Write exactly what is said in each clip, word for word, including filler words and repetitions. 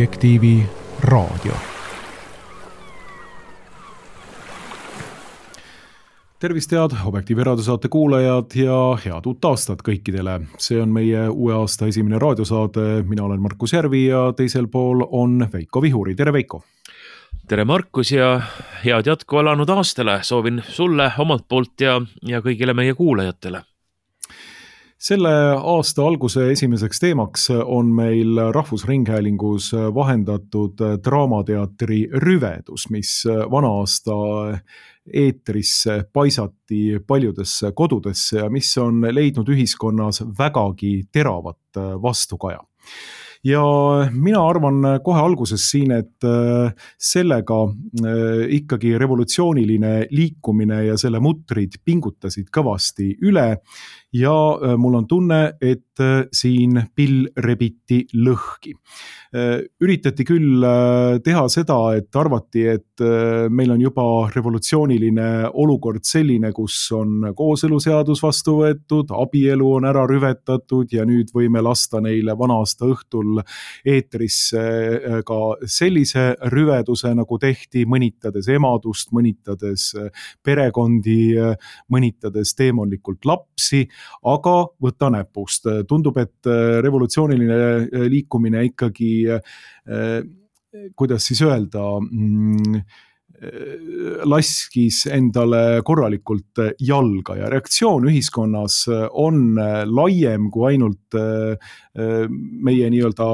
Objektiivi raadio. Tervist head Objektiivi raadiosaate kuulajad ja head uut aastat kõikidele. See on meie uue aasta esimene raadiosaade. Mina olen Markus Järvi ja teisel pool on Veiko Vihuri. Tere Veiko! Tere Markus ja head jätku alanud aastale. Soovin sulle omalt poolt ja, ja kõigile meie kuulajatele. Selle aasta alguse esimeseks teemaks on meil Rahvusringhäälingus vahendatud draamateatri Rüvedus, mis vana aasta eetrisse paisati paljudesse kodudesse ja mis on leidnud ühiskonnas vägagi teravat vastukaja. Ja mina arvan kohe alguses siin, et sellega ikkagi revolutsiooniline liikumine ja selle mutrid pingutasid kõvasti üle ja mul on tunne, et siin pill rebiti lõhki. Üritati küll teha seda, et arvati, et meil on juba revolutsiooniline olukord selline, kus on kooseluseadus vastu võetud, abielu on ära rüvetatud ja nüüd võime lasta neile vana aasta õhtul eetrisse ka sellise rüveduse, nagu tehti, mõnitades emadust, mõnitades perekondi, mõnitades teemonlikult lapsi, aga võta näpust. Tundub, et revolutsiooniline liikumine ikkagi, kuidas siis öelda, laskis endale korralikult jalga ja reaktsioon ühiskonnas on laiem kui ainult meie nii-öelda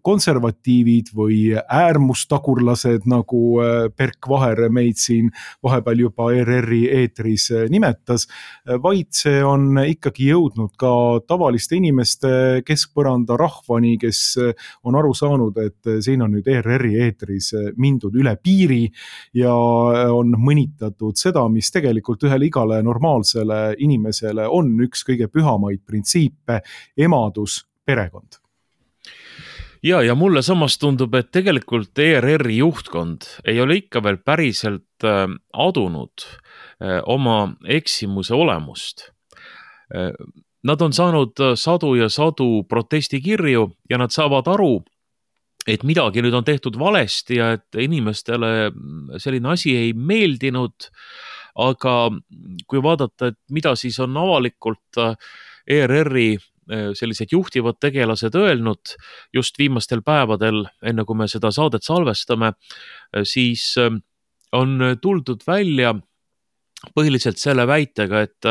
konservatiivid või äärmustagurlased, nagu Perk Vaher meid siin vahepeal juba E R R-i eetris nimetas, vaid see on ikkagi jõudnud ka tavaliste inimeste keskpõranda rahvani, kes on aru saanud, et siin on nüüd E R R-i eetris mindud üle piiri ja on mõnitatud seda, mis tegelikult ühele igale normaalsele inimesele on üks kõige pühamaid printsiipe, emadus, perekond. Ja, ja mulle samas tundub, et tegelikult E R R-i juhtkond ei ole ikka veel päriselt adunud oma eksimuse olemust. Nad on saanud sadu ja sadu protestikirju ja nad saavad aru, et midagi nüüd on tehtud valesti ja et inimestele selline asi ei meeldinud, aga kui vaadata, et mida siis on avalikult E R R-i sellised juhtivad tegelased öelnud just viimastel päevadel, enne kui me seda saadet salvestame, siis on tuldud välja põhiliselt selle väitega, et,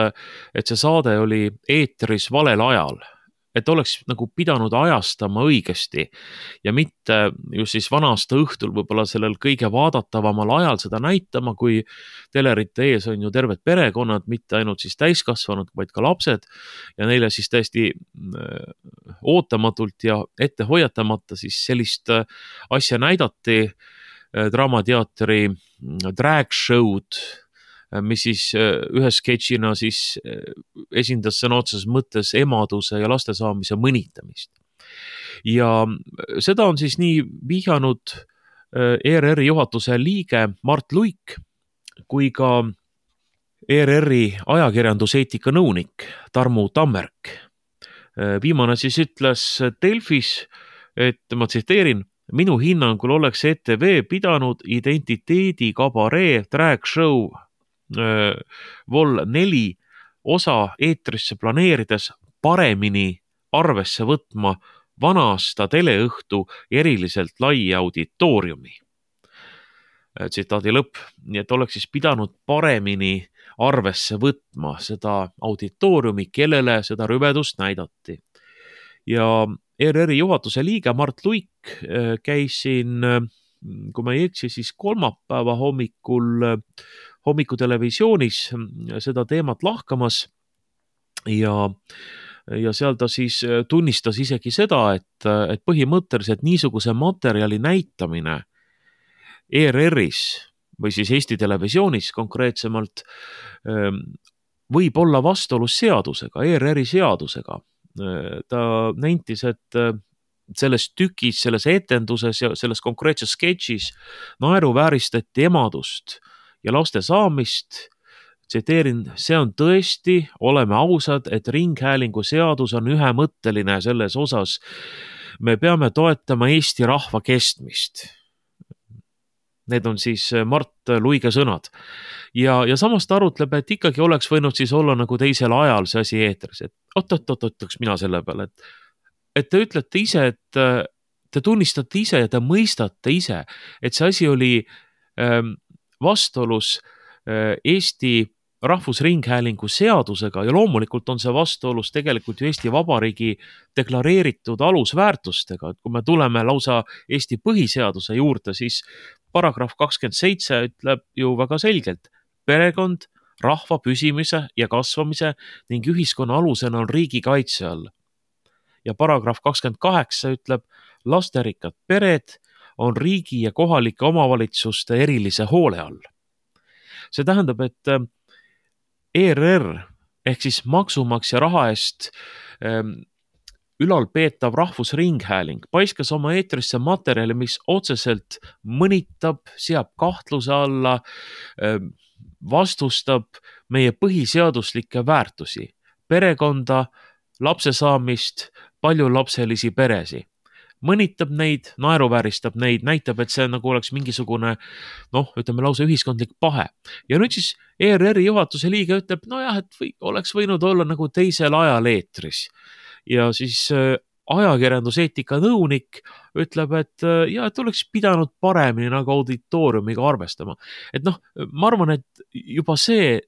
et see saade oli eetris valel ajal. Et oleks nagu pidanud ajastama õigesti ja mitte just siis vana aasta õhtul võib-olla sellel kõige vaadatavamal ajal seda näitama, kui telerite ees on ju terved perekonnad, mitte ainult siis täiskasvanud, vaid ka lapsed ja neile siis täiesti ootamatult ja ette hoiatamata siis sellist asja näidati draamateatri drag show'd, mis siis ühe sketšina siis esindas sõna otseses mõttes emaduse ja laste saamise mõnitamist. Ja seda on siis nii vihjanud E R R-i juhatuse liige Mart Luik kui ka E R R-i ajakirjanduseetika nõunik Tarmu Tammerk. Viimane siis ütles Delfis, et ma tsiteerin, minu hinnangul oleks E T V pidanud identiteedi kabaree drag show vol neli osa eetrisse planeerides paremini arvesse võtma vana aasta teleõhtu eriliselt lai auditooriumi. Tsitaadi lõpp. Nii et oleks siis pidanud paremini arvesse võtma seda auditooriumi, kellele seda rüvedust näidati. Ja E R R-i juhatuse liige Mart Luik käis siin, kui ma ei eksi, siis kolmapäeva hommikul hommikutelevisioonis seda teemat lahkamas ja, ja seal ta siis tunnistas isegi seda, et, et põhimõtteliselt niisuguse materjali näitamine E R R-is või siis Eesti Televisioonis konkreetsemalt võib olla vastuolus seadusega, E R R-i seadusega. Ta nentis, et selles tükis, selles etenduses ja selles konkreetses sketšis naeruvääristati emadust ja laste saamist, tsiteerin, see on tõesti, oleme ausad, et ringhäälingu seadus on ühemõtteline selles osas, me peame toetama Eesti rahva kestmist. Need on siis Mart Luige sõnad. Ja, ja samas ta arutleb, et ikkagi oleks võinud siis olla nagu teisel ajal see asi eetris, et oot-oot-oot, ütleks mina selle peale, et, et te ütlete ise, et te tunnistate ise ja te mõistate ise, et see asi oli ähm, vastuolus äh, Eesti Rahvusringhäälingu seadusega ja loomulikult on see vastuolus tegelikult ju Eesti Vabariigi deklareeritud alusväärtustega, et kui me tuleme lausa Eesti põhiseaduse juurde, siis paragrahv kakskümmend seitse ütleb ju väga selgelt, perekond, rahva püsimise ja kasvamise ning ühiskonna alusena on riigi kaitse all. Ja paragrahv kakskümmend kaheksa ütleb, lasterikkad pered on riigi ja kohalike omavalitsuste erilise hoole all. See tähendab, et E R R ehk siis maksumaksja raha eest ähm, ülalpeetav Rahvusringhääling paiskas oma eetrisse materjali, mis otseselt mõnitab, seab kahtluse alla, ähm, vastustab meie põhiseaduslikke väärtusi, perekonda, lapse saamist, paljulapselisi peresi. Mõnitab neid, naeruvääristab neid, näitab, et see nagu oleks mingisugune, noh, ütleme lausa ühiskondlik pahe. Ja nüüd siis E R R-i juhatuse liige ütleb, no jah, et või, oleks võinud olla nagu teisel ajal eetris. Ja siis äh, ajakirjanduseetika nõunik ütleb, et äh, ja, et oleks pidanud paremini nagu auditooriumiga arvestama. Et noh, ma arvan, et juba see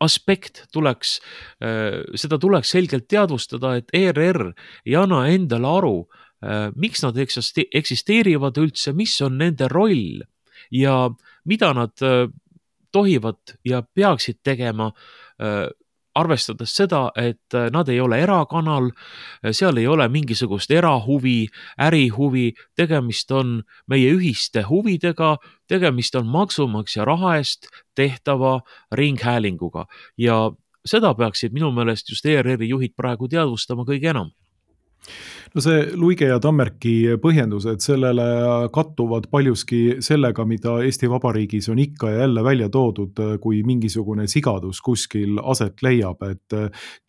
aspekt tuleks, äh, seda tuleks selgelt teadvustada, et E R R ei anna endale aru, miks nad eksisteerivad üldse, mis on nende roll ja mida nad tohivad ja peaksid tegema, arvestades seda, et nad ei ole erakanal, seal ei ole mingisugust erahuvi, ärihuvi, tegemist on meie ühiste huvidega, tegemist on maksumaksja raha eest tehtava ringhäälinguga ja seda peaksid minu meelest just E R R-i juhid praegu teadvustama kõige enam. No see Luige ja Tammerki põhjendused sellele kattuvad paljuski sellega, mida Eesti Vabariigis on ikka ja jälle välja toodud, kui mingisugune sigadus kuskil aset leiab, et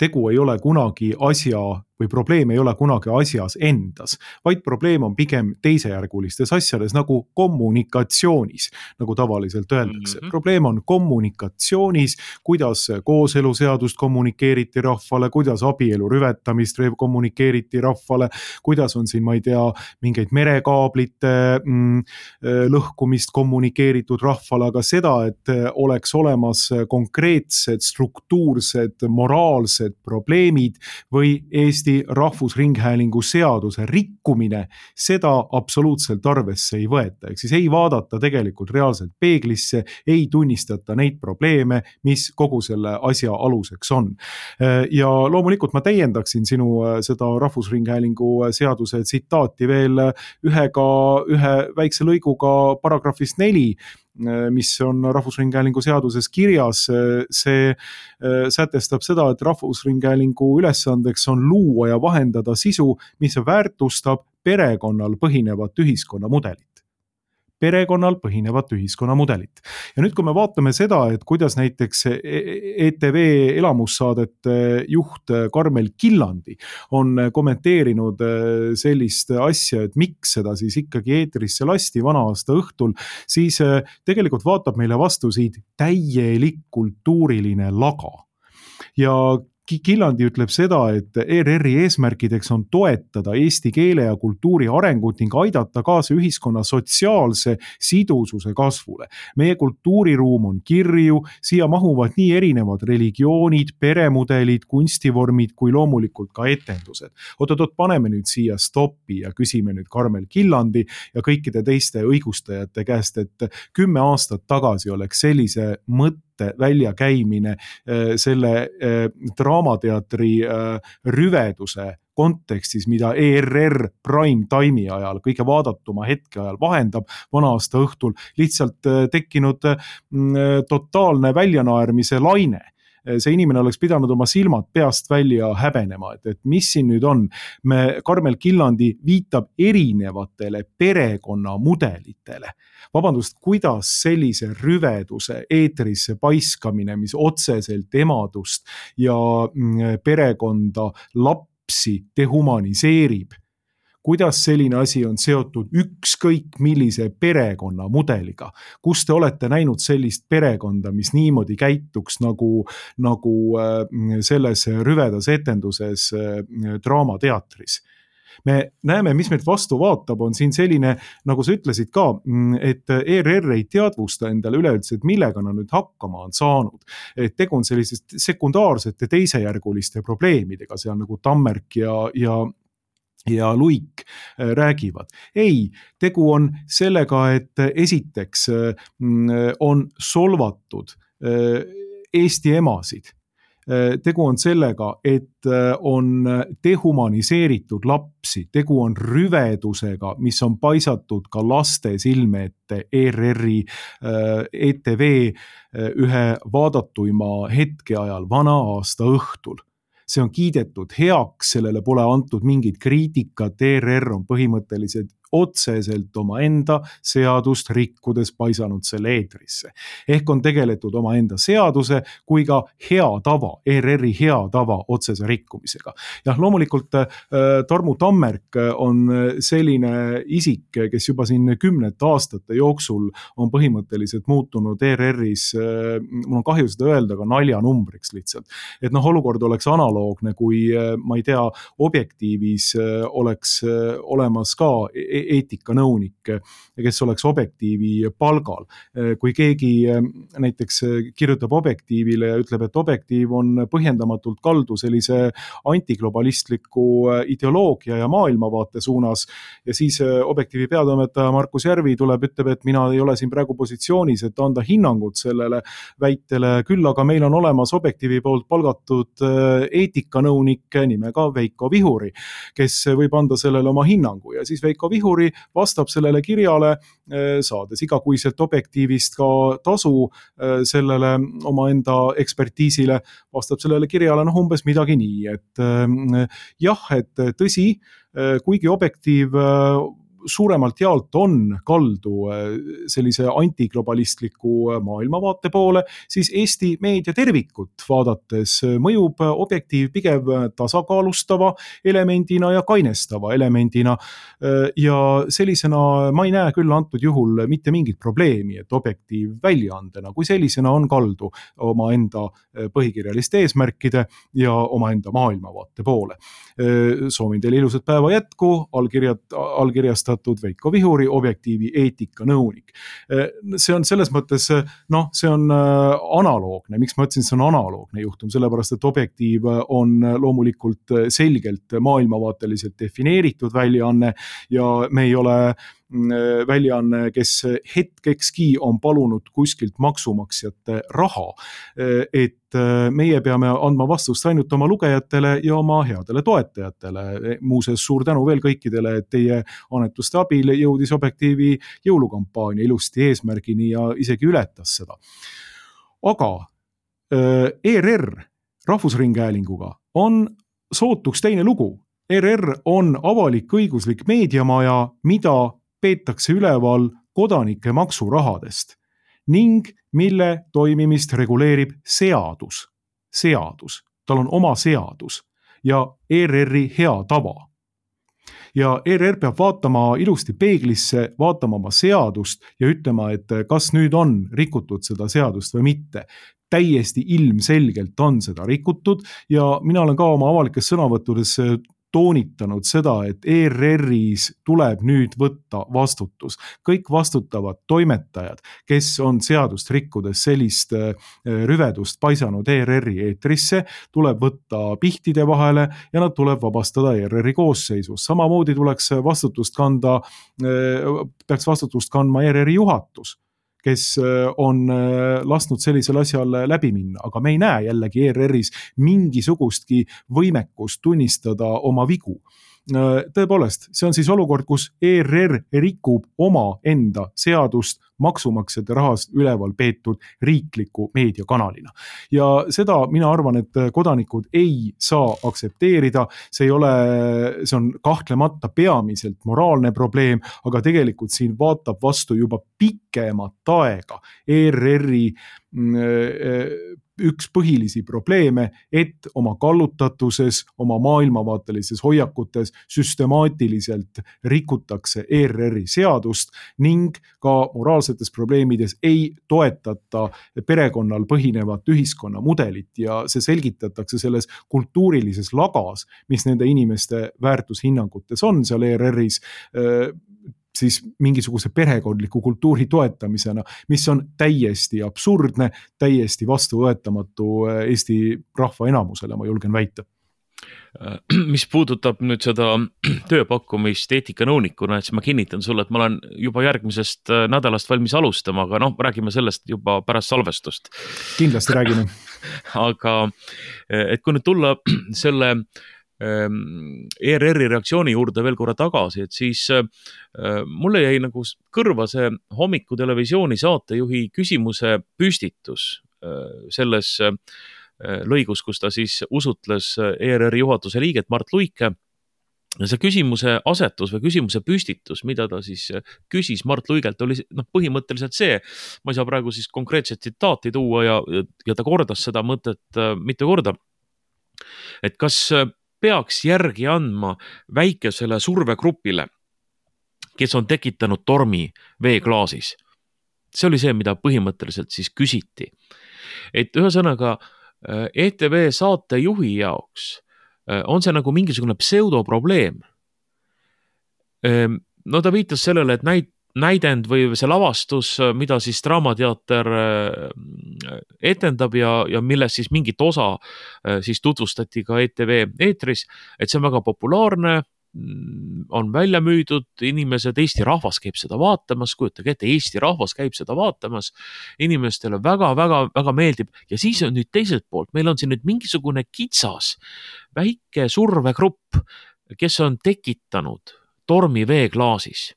tegu ei ole kunagi asja või probleem ei ole kunagi asjas endas, vaid probleem on pigem teisejärgulistes asjades nagu kommunikatsioonis, nagu tavaliselt öeldakse. Mm-hmm. Probleem on kommunikatsioonis, kuidas kooseluseadust kommunikeeriti rahvale, kuidas abielu rüvetamist kommunikeeriti rahvale, kuidas on siin, ma ei tea, mingeid merekaablite mm, lõhkumist kommunikeeritud rahvale, aga seda, et oleks olemas konkreetsed, struktuursed, moraalsed probleemid või Eesti Rahvusringhäälingu seaduse rikkumine, seda absoluutselt arvesse ei võeta. Ehk siis ei vaadata tegelikult reaalselt peeglisse, ei tunnistata neid probleeme, mis kogu selle asja aluseks on. Ja loomulikult ma täiendaksin sinu seda Rahvusringhäälingu seaduse tsitaati veel ühega, ühe väikse lõiguga paragrahvist neli, mis on Rahvusringhäälingu seaduses kirjas, see sätestab seda, et Rahvusringhäälingu ülesandeks on luua ja vahendada sisu, mis väärtustab perekonnal põhinevat ühiskonnamudelit. perekonnal põhinevat ühiskonnamudelit. Ja nüüd, kui me vaatame seda, et kuidas näiteks E T V elamussaadete juht Karmel Killandi on kommenteerinud sellist asja, et miks seda siis ikkagi eetrisse lasti vana aasta õhtul, siis tegelikult vaatab meile vastu siit täielik kultuuriline laga. Ja Killandi ütleb seda, et E R R-i eesmärkideks on toetada eesti keele ja kultuuri arengut ning aidata kaasa ühiskonna sotsiaalse sidususe kasvule. Meie kultuuriruum on kirju, siia mahuvad nii erinevad religioonid, peremudelid, kunstivormid kui loomulikult ka etendused. Oot-oot, paneme nüüd siia stoppi ja küsime nüüd Karmel Killandi ja kõikide teiste õigustajate käest, et kümme aastat tagasi oleks sellise mõtte väljakäimine selle draamateatri rüveduse kontekstis, mida E R R prime time'i ajal, kõige vaadatuma hetke ajal vahendab vana aasta õhtul, lihtsalt tekkinud totaalne väljanaermise laine. See inimene oleks pidanud oma silmad peast välja häbenema, et, et mis siin nüüd on. Me, Karmel Killandi viitab erinevatele perekonnamudelitele. Vabandust, kuidas sellise rüveduse eetrisse paiskamine, mis otseselt emadust ja perekonda lapsi dehumaniseerib, kuidas selline asi on seotud ükskõik millise perekonna mudeliga. Kus te olete näinud sellist perekonda, mis niimoodi käituks nagu, nagu selles rüvedas etenduses draamateatris? Me näeme, mis meid vastu vaatab, on siin selline, nagu sa ütlesid ka, et E R R ei teadvusta endale üleüldse, et millega nad nüüd hakkama on saanud. Et tegu on sellisest sekundaarsete teisejärguliste probleemidega, seal nagu Tammerk ja, ja ja Luik räägivad. Ei, tegu on sellega, et esiteks on solvatud Eesti emasid. Tegu on sellega, et on dehumaniseeritud lapsi, tegu on rüvedusega, mis on paisatud ka laste silme ette E R R-i E T V ühe vaadatuima hetke ajal vana aasta õhtul. See on kiidetud heaks, sellele pole antud mingit kriitikat, E R R on põhimõtteliselt otseselt oma enda seadust rikkudes paisanud selle eetrisse. Ehk on tegeletud oma enda seaduse kui ka hea tava, E R R-i hea tava otsese rikkumisega. Jah, loomulikult äh, Tarmu Tammerk on selline isik, kes juba siin kümnete aastate jooksul on põhimõtteliselt muutunud E R R-is, äh, mul on kahju seda öelda, aga naljanumbriks lihtsalt. Et noh, olukord oleks analoogne, kui äh, ma ei tea, Objektiivis äh, oleks äh, olemas ka eetikanõunik, kes oleks Objektiivi palgal. Kui keegi näiteks kirjutab Objektiivile ja ütleb, et Objektiiv on põhjendamatult kaldu sellise antiglobalistliku ideoloogia ja maailmavaate suunas ja siis Objektiivi peatoimetaja Markus Järvi tuleb, ütleb, et mina ei ole siin praegu positsioonis, et anda hinnangut sellele väitele, küll aga meil on olemas Objektiivi poolt palgatud eetikanõunik nimega Veiko Vihuri, kes võib anda sellele oma hinnangu ja siis Veiko Vihuri vastab sellele kirjale, saades igakuiselt Objektiivist ka tasu sellele oma enda ekspertiisile, vastab sellele kirjale noh umbes midagi nii, et jah, et tõsi, kuigi Objektiiv suuremalt jaolt on kaldu sellise antiglobalistliku maailmavaate poole, siis Eesti meedia tervikut vaadates mõjub Objektiiv pigem tasakaalustava elemendina ja kainestava elemendina. Ja sellisena ma ei näe küll antud juhul mitte mingit probleemi, et Objektiiv väljaandena, kui sellisena on kaldu oma enda põhikirjaliste eesmärkide ja oma enda maailmavaate poole. Soovin teile ilusat päeva jätku, allkirjad, allkirjastada Veiko Vihuri, Objektiivi eetikanõunik. See on selles mõttes, noh, see on analoogne. Miks ma ütlesin, see on analoogne juhtum? Sellepärast, et Objektiiv on loomulikult selgelt maailmavaateliselt defineeritud väljaanne ja me ei ole väljaanne, kes hetkekski on palunud kuskilt maksumaksjate raha, et meie peame andma vastust ainult oma lugejatele ja oma headele toetajatele. Muuseas, suur tänu veel kõikidele, et teie annetuste abil jõudis Objektiivi jõulukampaania ilusti eesmärgini ja isegi ületas seda. Aga E R R Rahvusringhäälinguga on sootuks teine lugu. E R R on avalik-õiguslik meediamaja, mida peetakse üleval kodanike maksurahadest ning mille toimimist reguleerib seadus. Seadus. Tal on oma seadus ja E R R-i hea tava. Ja E R R peab vaatama ilusti peeglisse, vaatama oma seadust ja ütlema, et kas nüüd on rikutud seda seadust või mitte. Täiesti ilmselgelt on seda rikutud ja mina olen ka oma avalikes sõnavõttudes toonitanud seda, et E R R-is tuleb nüüd võtta vastutus. Kõik vastutavad toimetajad, kes on seadust rikkudes sellist rüvedust paisanud E R R-i eetrisse, tuleb võtta pihtide vahele ja nad tuleb vabastada E R R-i koosseisus. Samamoodi tuleks vastutust kanda, peaks vastutust kandma E R R-i juhatus, kes on lasknud sellisel asjal läbi minna, aga me ei näe jällegi E R R-is mingisugustki võimekust tunnistada oma vigu. Tõepoolest, see on siis olukord, kus E R R rikub oma enda seadust maksumaksjate rahast üleval peetud riikliku meediakanalina. Ja seda mina arvan, et kodanikud ei saa aktsepteerida, see ei ole, see on kahtlemata peamiselt moraalne probleem, aga tegelikult siin vaatab vastu juba pikemat aega E R R-i üks põhilisi probleeme, et oma kallutatuses, oma maailmavaatelises hoiakutes süstemaatiliselt rikutakse E R R-i seadust ning ka moraalsetes probleemides ei toetata perekonnal põhinevat ühiskonnamudelit ja see selgitatakse selles kultuurilises lagas, mis nende inimeste väärtushinnangutes on seal E R R-is, siis mingisuguse perekondliku kultuuri toetamisena, mis on täiesti absurdne, täiesti vastuvõetamatu Eesti rahva enamusele, ma julgen väita. Mis puudutab nüüd seda tööpakkumist eetikanõunikuna, et siis ma kinnitan sulle, et ma olen juba järgmisest nädalast valmis alustama, aga noh, räägime sellest juba pärast salvestust. Kindlasti räägime. Aga et kui nüüd tulla selle E R R-i reaktsiooni juurde veel korra tagasi, et siis mulle jäi nagu kõrva see hommiku televisiooni saatejuhi küsimuse püstitus selles lõigus, kus ta siis usutles E R R-i juhatuse liiget Mart Luike. Ja see küsimuse asetus või küsimuse püstitus, mida ta siis küsis Mart Luigelt, oli noh, põhimõtteliselt see, ma ei saa praegu siis konkreetset tsitaati tuua ja, ja ta kordas seda mõtet mitu korda, et kas peaks järgi andma väikesele survegrupile, kes on tekitanud tormi veeklaasis. See oli see, mida põhimõtteliselt siis küsiti. Et ühesõnaga E T V saatejuhi jaoks on see nagu mingisugune pseudoprobleem. No ta viitas sellele, et näit, näidend või see lavastus, mida siis Draamateater etendab ja, ja milles siis mingit osa siis tutvustati ka E T V eetris, et see on väga populaarne, on välja müüdud, inimesed, Eesti rahvas käib seda vaatamas, kujutage ette, Eesti rahvas käib seda vaatamas, inimestele väga, väga, väga meeldib ja siis on nüüd teiselt poolt, meil on siin nüüd mingisugune kitsas, väike survegrupp, kes on tekitanud tormi veeklaasis.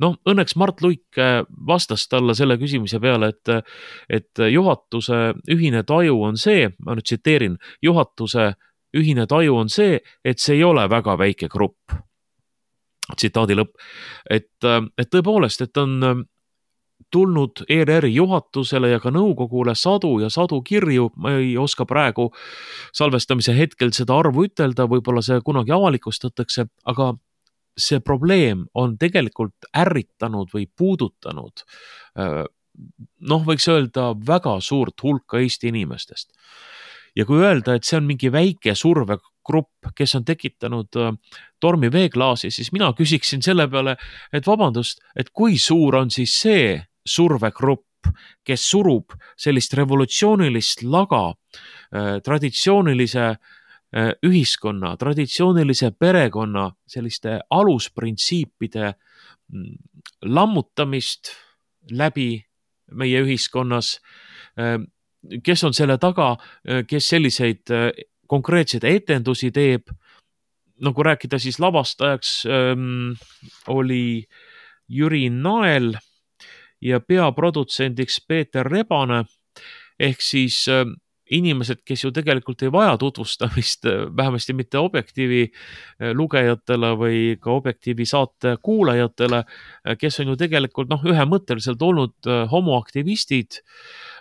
No õnneks Mart Luik vastas talle selle küsimise peale, et, et juhatuse ühine taju on see, ma nüüd tsiteerin, juhatuse ühine taju on see, et see ei ole väga väike grupp. Tsitaadi lõpp. Et, et tõepoolest, et on tulnud E R R-i juhatusele ja ka nõukogule sadu ja sadu kirju, ma ei oska praegu salvestamise hetkel seda arvu ütelda, võib-olla see kunagi avalikustatakse, aga see probleem on tegelikult ärritanud või puudutanud, noh, võiks öelda väga suurt hulka Eesti inimestest. Ja kui öelda, et see on mingi väike survegrupp, kes on tekitanud tormi veeklaasi, siis mina küsiksin selle peale, et vabandust, et kui suur on siis see survegrupp, kes surub sellist revolutsioonilist laga traditsioonilise ühiskonna, traditsioonilise perekonna selliste alusprintsiipide lammutamist läbi meie ühiskonnas, kes on selle taga, kes selliseid konkreetseid etendusi teeb, nagu rääkida siis lavastajaks ähm, oli Jüri Nael ja peaprodutsendiks Peeter Rebane, ehk siis ähm, inimesed, kes ju tegelikult ei vaja tutvustamist, vähemasti mitte Objektiivi lugejatele või ka Objektiivi saate kuulajatele, kes on ju tegelikult noh, ühemõtteliselt olnud homoaktivistid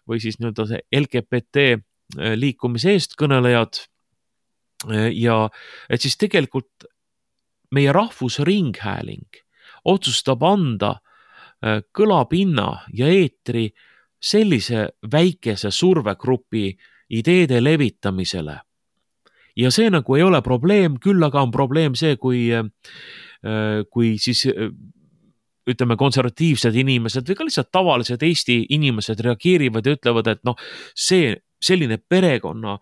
või siis nii-öelda see L G B T liikumise eestkõnelejad. Ja et siis tegelikult meie rahvusringhääling otsustab anda kõlapinna ja eetri sellise väikese survegrupi ideede levitamisele. Ja see nagu ei ole probleem, küll aga on probleem see, kui, kui siis ütleme konservatiivsed inimesed või ka lihtsalt tavalised Eesti inimesed reageerivad ja ütlevad, et noh, see selline perekonna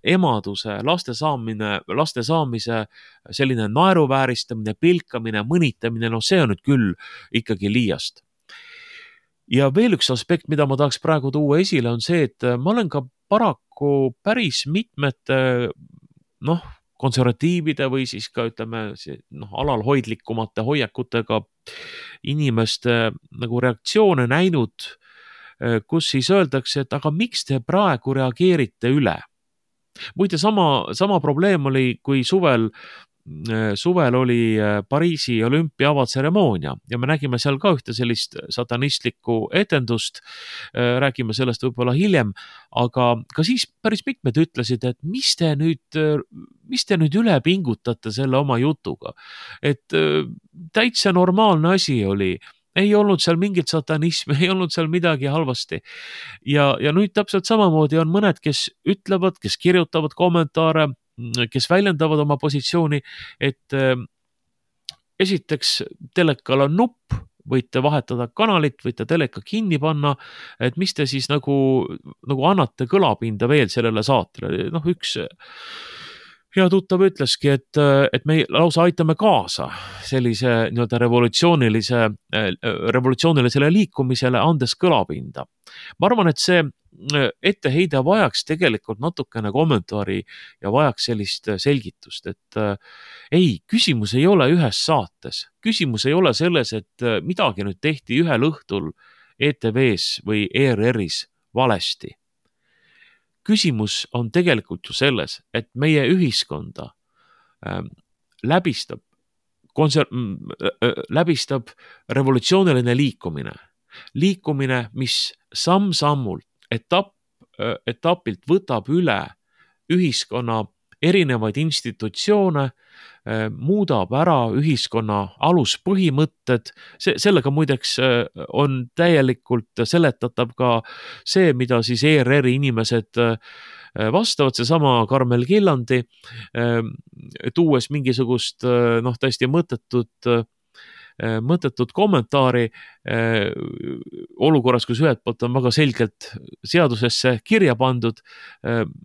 emaduse, laste saamine, laste saamise, selline naeruvääristamine, pilkamine, mõnitamine, noh see on nüüd küll ikkagi liiast. Ja veel üks aspekt, mida ma tahaks praegu tuua esile, on see, et ma olen ka paraku päris mitmete noh, konservatiivide või siis ka ütleme noh, alalhoidlikumate hoiakutega inimeste nagu reaktsioone näinud, kus siis öeldakse, et aga miks te praegu reageerite üle? Muide, sama, sama probleem oli, kui suvel suvel oli Pariisi olümpia avatseremoonia ja me nägime seal ka ühte sellist satanistlikku etendust, räägime sellest võib-olla hiljem, aga ka siis päris mitmed ütlesid, et mis te nüüd, mis te nüüd üle pingutate selle oma jutuga, et täitsa normaalne asi oli, ei olnud seal mingit satanismi, ei olnud seal midagi halvasti. Ja, ja nüüd täpselt samamoodi on mõned, kes ütlevad, kes kirjutavad kommentaare, kes väljendavad oma positsiooni, et esiteks telekal on nupp, võite vahetada kanalit, võite teleka kinni panna, et mis te siis nagu, nagu annate kõlapinda veel sellele saatele. Noh, üks hea tuttav ütleski, et, et me lausa aitame kaasa sellise nii-öelda revolutsioonilise, revolutsioonilisele liikumisele, andes kõlapinda. Ma arvan, et see etteheide vajaks tegelikult natukene kommentaari ja vajaks sellist selgitust, et ei, küsimus ei ole ühes saates. Küsimus ei ole selles, et midagi nüüd tehti ühel õhtul E T V-s või E R R-is valesti. Küsimus on tegelikult ju selles, et meie ühiskonda läbistab, konser-, läbistab revolutsiooniline liikumine. Liikumine, mis samm-sammult, etapp, etapilt võtab üle ühiskonna erinevaid institutsioone, muudab ära ühiskonna aluspõhimõtted. See, sellega muideks on täielikult seletatav ka see, mida siis E R R-i inimesed vastavad, see sama Karmel Killandi, tuues mingisugust noh, täiesti mõttetut mõttetut kommentaari olukorras, kus ühelt poolt on väga selgelt seadusesse kirja pandud,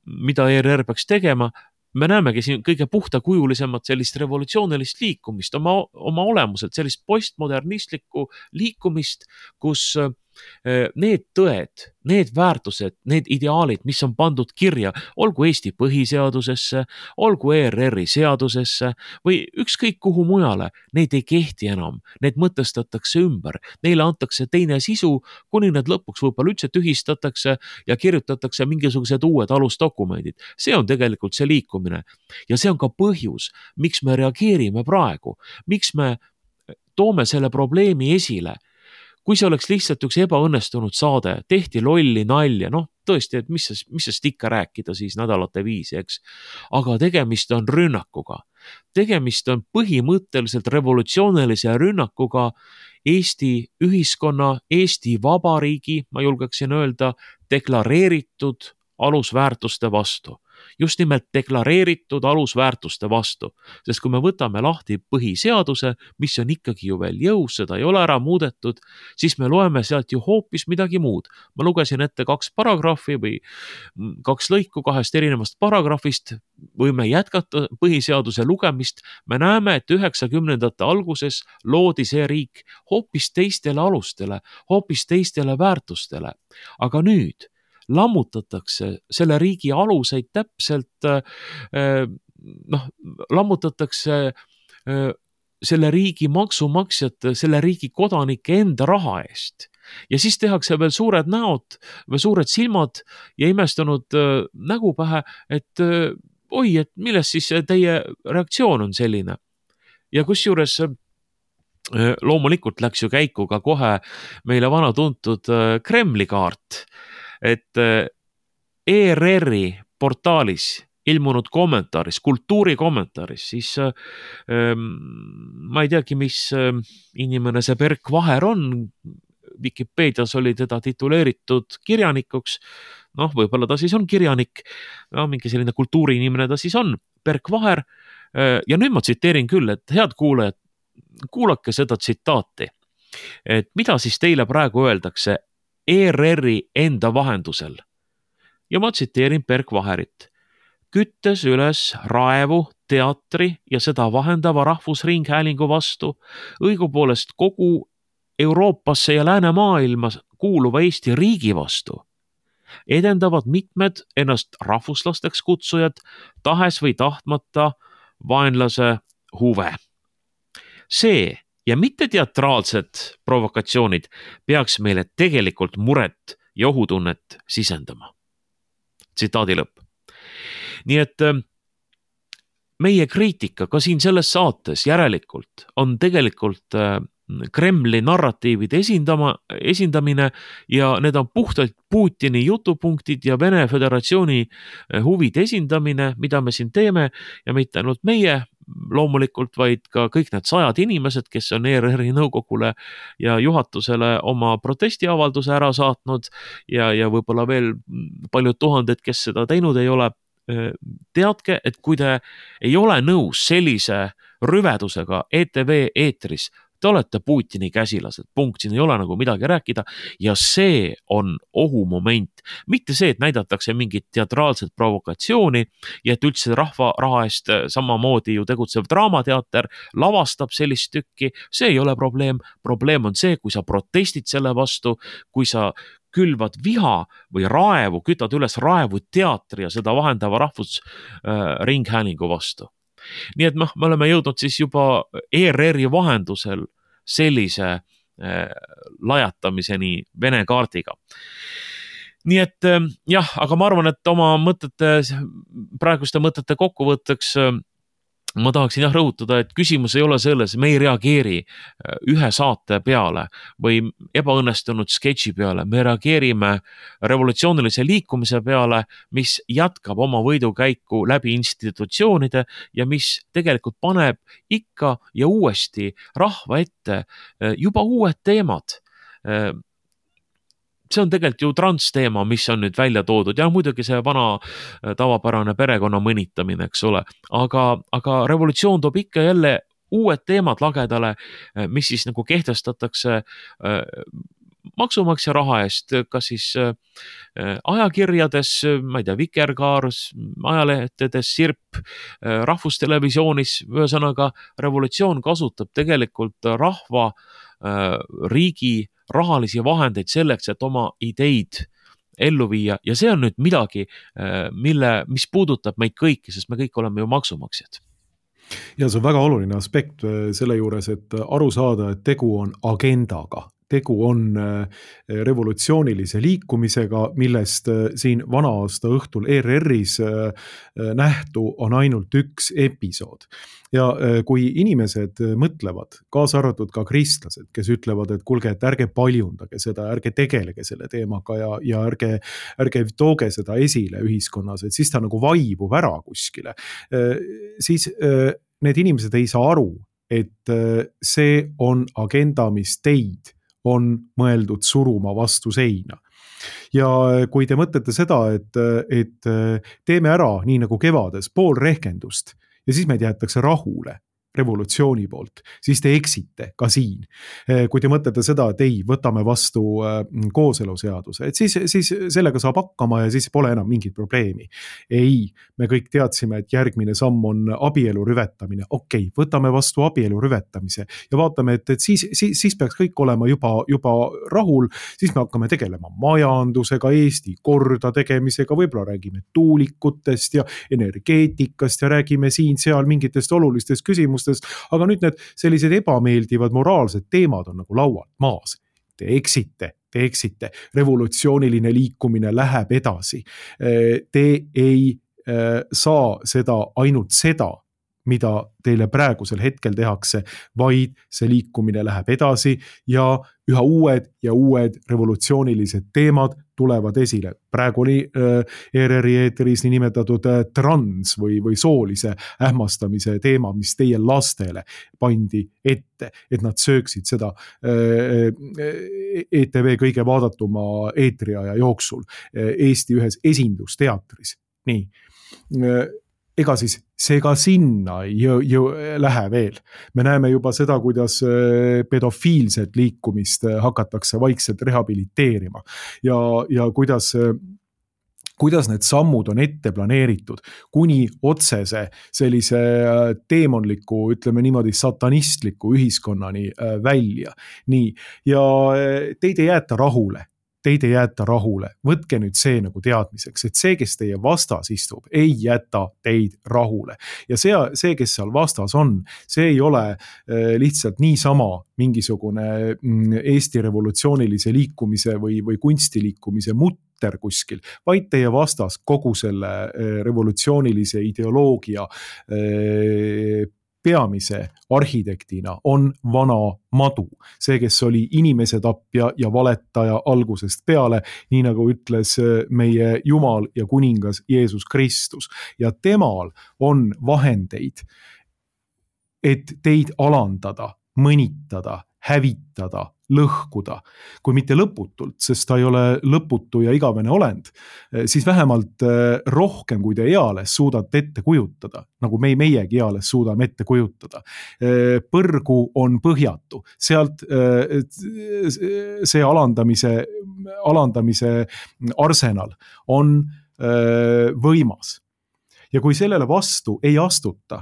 mida E R R peaks tegema. Me näemegi siin kõige puhtakujulisemat sellist revolutsioonilist liikumist, oma, oma olemuselt sellist postmodernistlikku liikumist, kus need tõed, need väärtused, need ideaalid, mis on pandud kirja, olgu Eesti põhiseadusesse, olgu E R R-i seadusesse või ükskõik kuhu mujale, need ei kehti enam, need mõtestatakse ümber, neile antakse teine sisu, kuni need lõpuks võib-olla üldse tühistatakse ja kirjutatakse mingisugused uued alusdokumendid. See on tegelikult see liikumine ja see on ka põhjus, miks me reageerime praegu, miks me toome selle probleemi esile. Kui see oleks lihtsalt üks ebaõnnestunud saade, tehti lolli nalja, noh tõesti, et mis, mis sest ikka rääkida siis nädalate viisi, eks. Aga tegemist on rünnakuga. Tegemist on põhimõtteliselt revolutsioonilise rünnakuga Eesti ühiskonna, Eesti Vabariigi, ma julgeksin öelda, deklareeritud alusväärtuste vastu. Just nimelt deklareeritud alusväärtuste vastu. Sest kui me võtame lahti põhiseaduse, mis on ikkagi ju veel jõus, seda ei ole ära muudetud, siis me loeme sealt ju hoopis midagi muud. Ma lugesin ette kaks paragrahvi või kaks lõiku kahest erinevast paragrahvist, võime jätkata põhiseaduse lugemist. Me näeme, et üheksakümnendate alguses loodi see riik hoopis teistele alustele, hoopis teistele väärtustele. Aga nüüd lammutatakse selle riigi aluseid täpselt, noh, lammutatakse selle riigi maksumaksjate, selle riigi kodanike enda raha eest. Ja siis tehakse veel suured näod või suured silmad ja imestunud nägu pähe, et oi, et milles siis teie reaktsioon on selline. Ja kusjuures loomulikult läks ju käiku ka kohe meile vana tuntud Kremli kaart, et E R R-i portaalis ilmunud kommentaaris, kultuuri kommentaaris, siis ähm, ma ei teagi, mis ähm, inimene see Berk Vaher on, Wikipeedias oli teda tituleeritud kirjanikuks, noh, võib-olla ta siis on kirjanik, no, mingi selline kultuuriinimene ta siis on, Berk Vaher, ja nüüd ma tsiteerin küll, et head kuulajad, kuulake seda tsitaati, et mida siis teile praegu öeldakse E R R-i enda vahendusel. Ja ma tsiteerin Berk Vaherit. Küttes üles raevu, teatri ja seda vahendava rahvusringhäälingu vastu, õigupoolest kogu Euroopasse ja läänemaailma kuuluva Eesti riigi vastu, edendavad mitmed ennast rahvuslasteks kutsujad, tahes või tahtmata vaenlase huve. See ja mitte teatraalsed provokatsioonid peaks meile tegelikult muret ja ohutunnet sisendama. Tsitaadi lõpp. Nii et meie kriitika ka siin selles saates järelikult on tegelikult Kremli narratiivide esindama, esindamine ja need on puhtalt Putini jutupunktid ja Vene Föderatsiooni huvide esindamine, mida me siin teeme ja mitte ainult meie loomulikult, vaid ka kõik need sajad inimesed, kes on E R R-i nõukogule ja juhatusele oma protestiavalduse ära saatnud ja, ja võib-olla veel paljud tuhanded, kes seda teinud ei ole. Teadke, et kui te ei ole nõus sellise rüvedusega E T V eetris, te olete Putini käsilased, punkt, siin ei ole nagu midagi rääkida ja see on ohumoment. Mitte see, et näidatakse mingit teatraalset provokatsiooni ja et üldse rahva raha eest samamoodi ju tegutsev draamateater lavastab sellist tükki, see ei ole probleem. Probleem on see, kui sa protestid selle vastu, kui sa külvad viha või raevu, kütad üles raevu teatri ja seda vahendava rahvusringhäälingu vastu. Nii et noh, me oleme jõudnud siis juba E R R-i vahendusel sellise äh, lajatamiseni Vene kaardiga. Nii et äh, jah, aga ma arvan, et oma mõtete, praeguste mõtete kokkuvõtteks äh, ma tahaksin jah rõhutada, et küsimus ei ole selles, me ei reageeri ühe saate peale või ebaõnnestunud sketši peale, me reageerime revolutsioonilise liikumise peale, mis jätkab oma võidukäiku läbi institutsioonide ja mis tegelikult paneb ikka ja uuesti rahva ette juba uued teemad. See on tegelikult ju transteema, mis on nüüd välja toodud ja muidugi see vana tavapärane perekonna mõnitamine, eks ole, aga, aga revolutsioon toob ikka jälle uued teemad lagedale, mis siis nagu kehtestatakse maksumaksja raha eest, kas siis ajakirjades, ma ei tea, Vikerkaar, ajalehtedes, Sirp, rahvustelevisioonis, ühesõnaga revolutsioon kasutab tegelikult rahva, riigi rahalisi vahendeid selleks, et oma ideid ellu viia ja see on nüüd midagi, mille, mis puudutab meid kõiki, sest me kõik oleme ju maksumaksjad. Ja see on väga oluline aspekt selle juures, et aru saada, et tegu on agendaga. Tegu on revolutsioonilise liikumisega, millest siin vana aasta õhtul E R R-is nähtu on ainult üks episood. Ja kui inimesed mõtlevad, kaasa arvatud ka kristlased, kes ütlevad, et kuulge, et ärge paljundage seda, ärge tegelege selle teemaga ja, ja ärge, ärge tooge seda esile ühiskonnas, et siis ta nagu vaibub ära kuskile, siis need inimesed ei saa aru, et see on agenda, mis teid on mõeldud suruma vastu seina. Ja kui te mõtlete seda, et, et teeme ära nii nagu kevades pool rehkendust ja siis meid jäetakse rahule revolutsiooni poolt, siis te eksite ka siin. Kui te mõtlete seda, et ei, võtame vastu kooseluseaduse, et siis, siis sellega saab hakkama ja siis pole enam mingit probleemi. Ei, me kõik teadsime, et järgmine samm on abielu rüvetamine. Okei, võtame vastu abielu rüvetamise ja vaatame, et, et siis, siis, siis peaks kõik olema juba, juba rahul, siis me hakkame tegelema majandusega, Eesti korda tegemisega, võib-olla räägime tuulikutest ja energeetikast ja räägime siin-seal mingitest olulistest küsimustest, aga nüüd need sellised ebameeldivad moraalsed teemad on nagu laualt maas. Te eksite, te eksite, revolutsiooniline liikumine läheb edasi. Te ei saa seda ainult seda, mida teile praegusel hetkel tehakse, vaid see liikumine läheb edasi ja üha uued ja uued revolutsioonilised teemad tulevad esile. Praegu oli E R R-i eetris nii nimetatud trans või, või soolise ähmastamise teema, mis teie lastele pandi ette, et nad sööksid seda E T V kõige vaadatuma eetriaja jooksul Eesti ühes esindusteatris. Nii. Ega siis see ka sinna jõ, jõ, lähe veel. Me näeme juba seda, kuidas pedofiilset liikumist hakatakse vaikselt rehabiliteerima ja, ja kuidas, kuidas need sammud on ette planeeritud kuni otsese sellise teemonliku, ütleme niimoodi satanistliku ühiskonnani välja. Nii. Ja teid ei jäeta rahule. Teid ei jäeta rahule. Võtke nüüd see nagu teadmiseks, et see, kes teie vastas istub, ei jäta teid rahule. Ja see, see kes seal vastas on, see ei ole lihtsalt niisama mingisugune Eesti revolutsioonilise liikumise või, või kunstiliikumise mutt, mutter kuskil, vaid teie vastas kogu selle revolutsioonilise ideoloogia peamise arhitektina on vana madu. See, kes oli inimese tapja ja valetaja algusest peale, nii nagu ütles meie Jumal ja kuningas Jeesus Kristus. Ja temal on vahendeid, et teid alandada, mõnitada, hävitada, lõhkuda, kui mitte lõputult, sest ta ei ole lõputu ja igavene olend, siis vähemalt rohkem, kui te eales suudate ette kujutada, nagu me meiegi eales suudame ette kujutada. Põrgu on põhjatu, sealt see alandamise, alandamise arsenal on võimas. Ja kui sellele vastu ei astuta,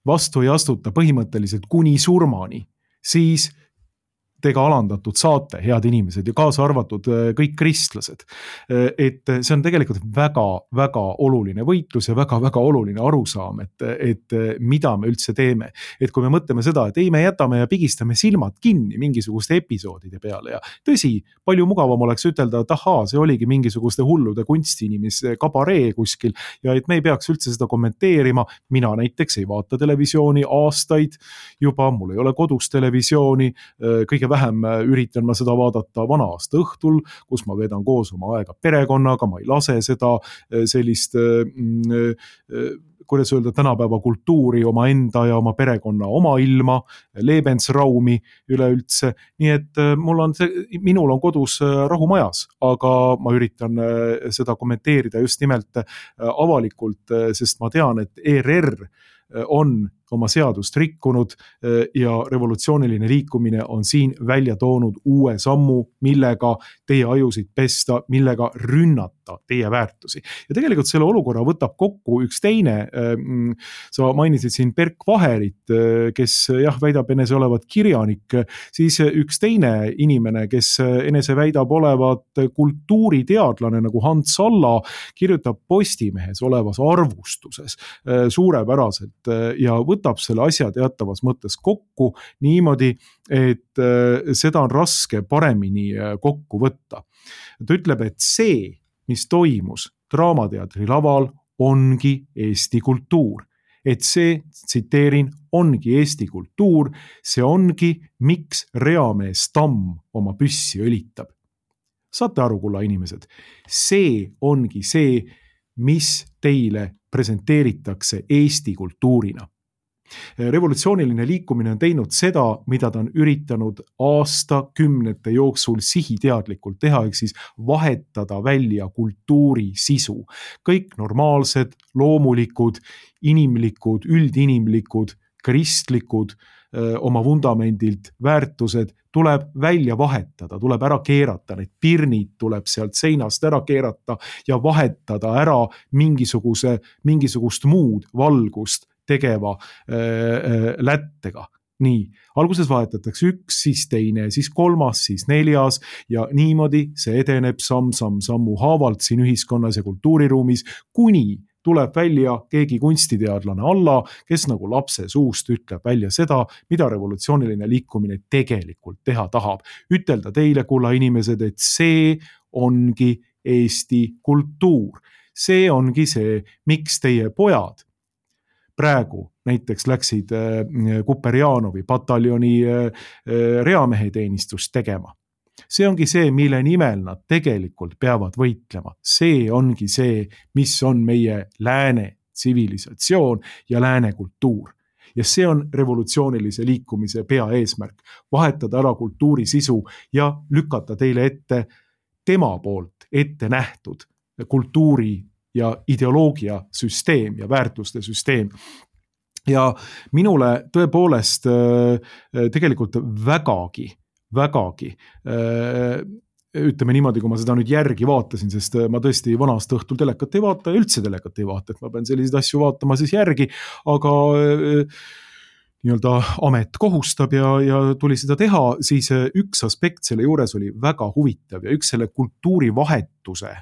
vastu ei astuta põhimõtteliselt kuni surmani, siis te ka alandatud saate, head inimesed, ja kaasa arvatud kõik kristlased. Et see on tegelikult väga, väga oluline võitlus ja väga, väga oluline arusaam, et, et mida me üldse teeme. Et kui me mõtleme seda, et ei, me jätame ja pigistame silmad kinni mingisuguste episoodide peale ja tõsi, palju mugavam oleks ütelda, et ahaa, see oligi mingisuguste hullude kunstiinimise kabaree kuskil ja et me ei peaks üldse seda kommenteerima. Mina näiteks ei vaata televisiooni aastaid juba, mul ei ole kodus televisiooni, kõige vähem üritan ma seda vaadata vana aasta õhtul, kus ma veedan koos oma aega perekonnaga, ma ei lase seda sellist, kuidas öelda, tänapäeva kultuuri oma enda ja oma perekonna oma ilma, Lebensraumi üleüldse. Nii et mul on see, minul on kodus rahumajas, aga ma üritan seda kommenteerida just nimelt avalikult, sest ma tean, et E R R on oma seadust rikkunud ja revolutsiooniline liikumine on siin välja toonud uue sammu, millega teie ajusid pesta, millega rünnata teie väärtusi. Ja tegelikult selle olukorra võtab kokku üks teine, sa mainisid siin Berk Vaherit, kes jah, väidab enese olevat kirjanik, siis üks teine inimene, kes enese väidab olevat kultuuriteadlane nagu Hans Salla, kirjutab Postimehes olevas arvustuses suurepäraselt ja võtab võtab selle asja teatavas mõttes kokku niimoodi, et seda on raske paremini kokku võtta. Ta ütleb, et see, mis toimus Draamateatri laval, ongi Eesti kultuur. Et see, tsiteerin, ongi Eesti kultuur, see ongi, miks reamees Tamm oma püssi õlitab. Saate aru, kulla inimesed, see ongi see, mis teile presenteeritakse Eesti kultuurina. Revolutsiooniline liikumine on teinud seda, mida ta on üritanud aastakümnete jooksul sihiteadlikult teha, ehk siis vahetada välja kultuuri sisu. Kõik normaalsed, loomulikud, inimlikud, üldinimlikud, kristlikud, oma vundamendilt väärtused tuleb välja vahetada, tuleb ära keerata, need pirnid tuleb sealt seinast ära keerata ja vahetada ära mingisuguse, mingisugust muud valgust tegeva äh, lättega. Nii, alguses vahetatakse üks, siis teine, siis kolmas, siis neljas ja niimoodi see edeneb samm, samm, sammu haavalt siin ühiskonnas ja kultuuriruumis, kuni tuleb välja keegi kunstiteadlane alla, kes nagu lapse suust ütleb välja seda, mida revolutsiooniline liikumine tegelikult teha tahab. Ütelda teile, kulla inimesed, et see ongi Eesti kultuur. See ongi see, miks teie pojad praegu näiteks läksid Kuperjanovi pataljoni reameheteenistust tegema. See ongi see, mille nimel nad tegelikult peavad võitlema. See ongi see, mis on meie lääne tsivilisatsioon ja lääne kultuur. Ja see on revolutsioonilise liikumise peaeesmärk. Vahetada ära kultuuri sisu ja lükata teile ette tema poolt ette nähtud kultuuri ja ideoloogia süsteem ja väärtuste süsteem. Ja minule tõepoolest tegelikult vägagi, vägagi, ütleme niimoodi, kui ma seda nüüd järgi vaatasin, sest ma tõesti vanast õhtul telekat ei vaata ja üldse telekat ei vaata, et ma pean selliseid asju vaatama siis järgi, aga nii-öelda amet kohustab ja, ja tuli seda teha, siis üks aspekt selle juures oli väga huvitav ja üks selle kultuurivahetuse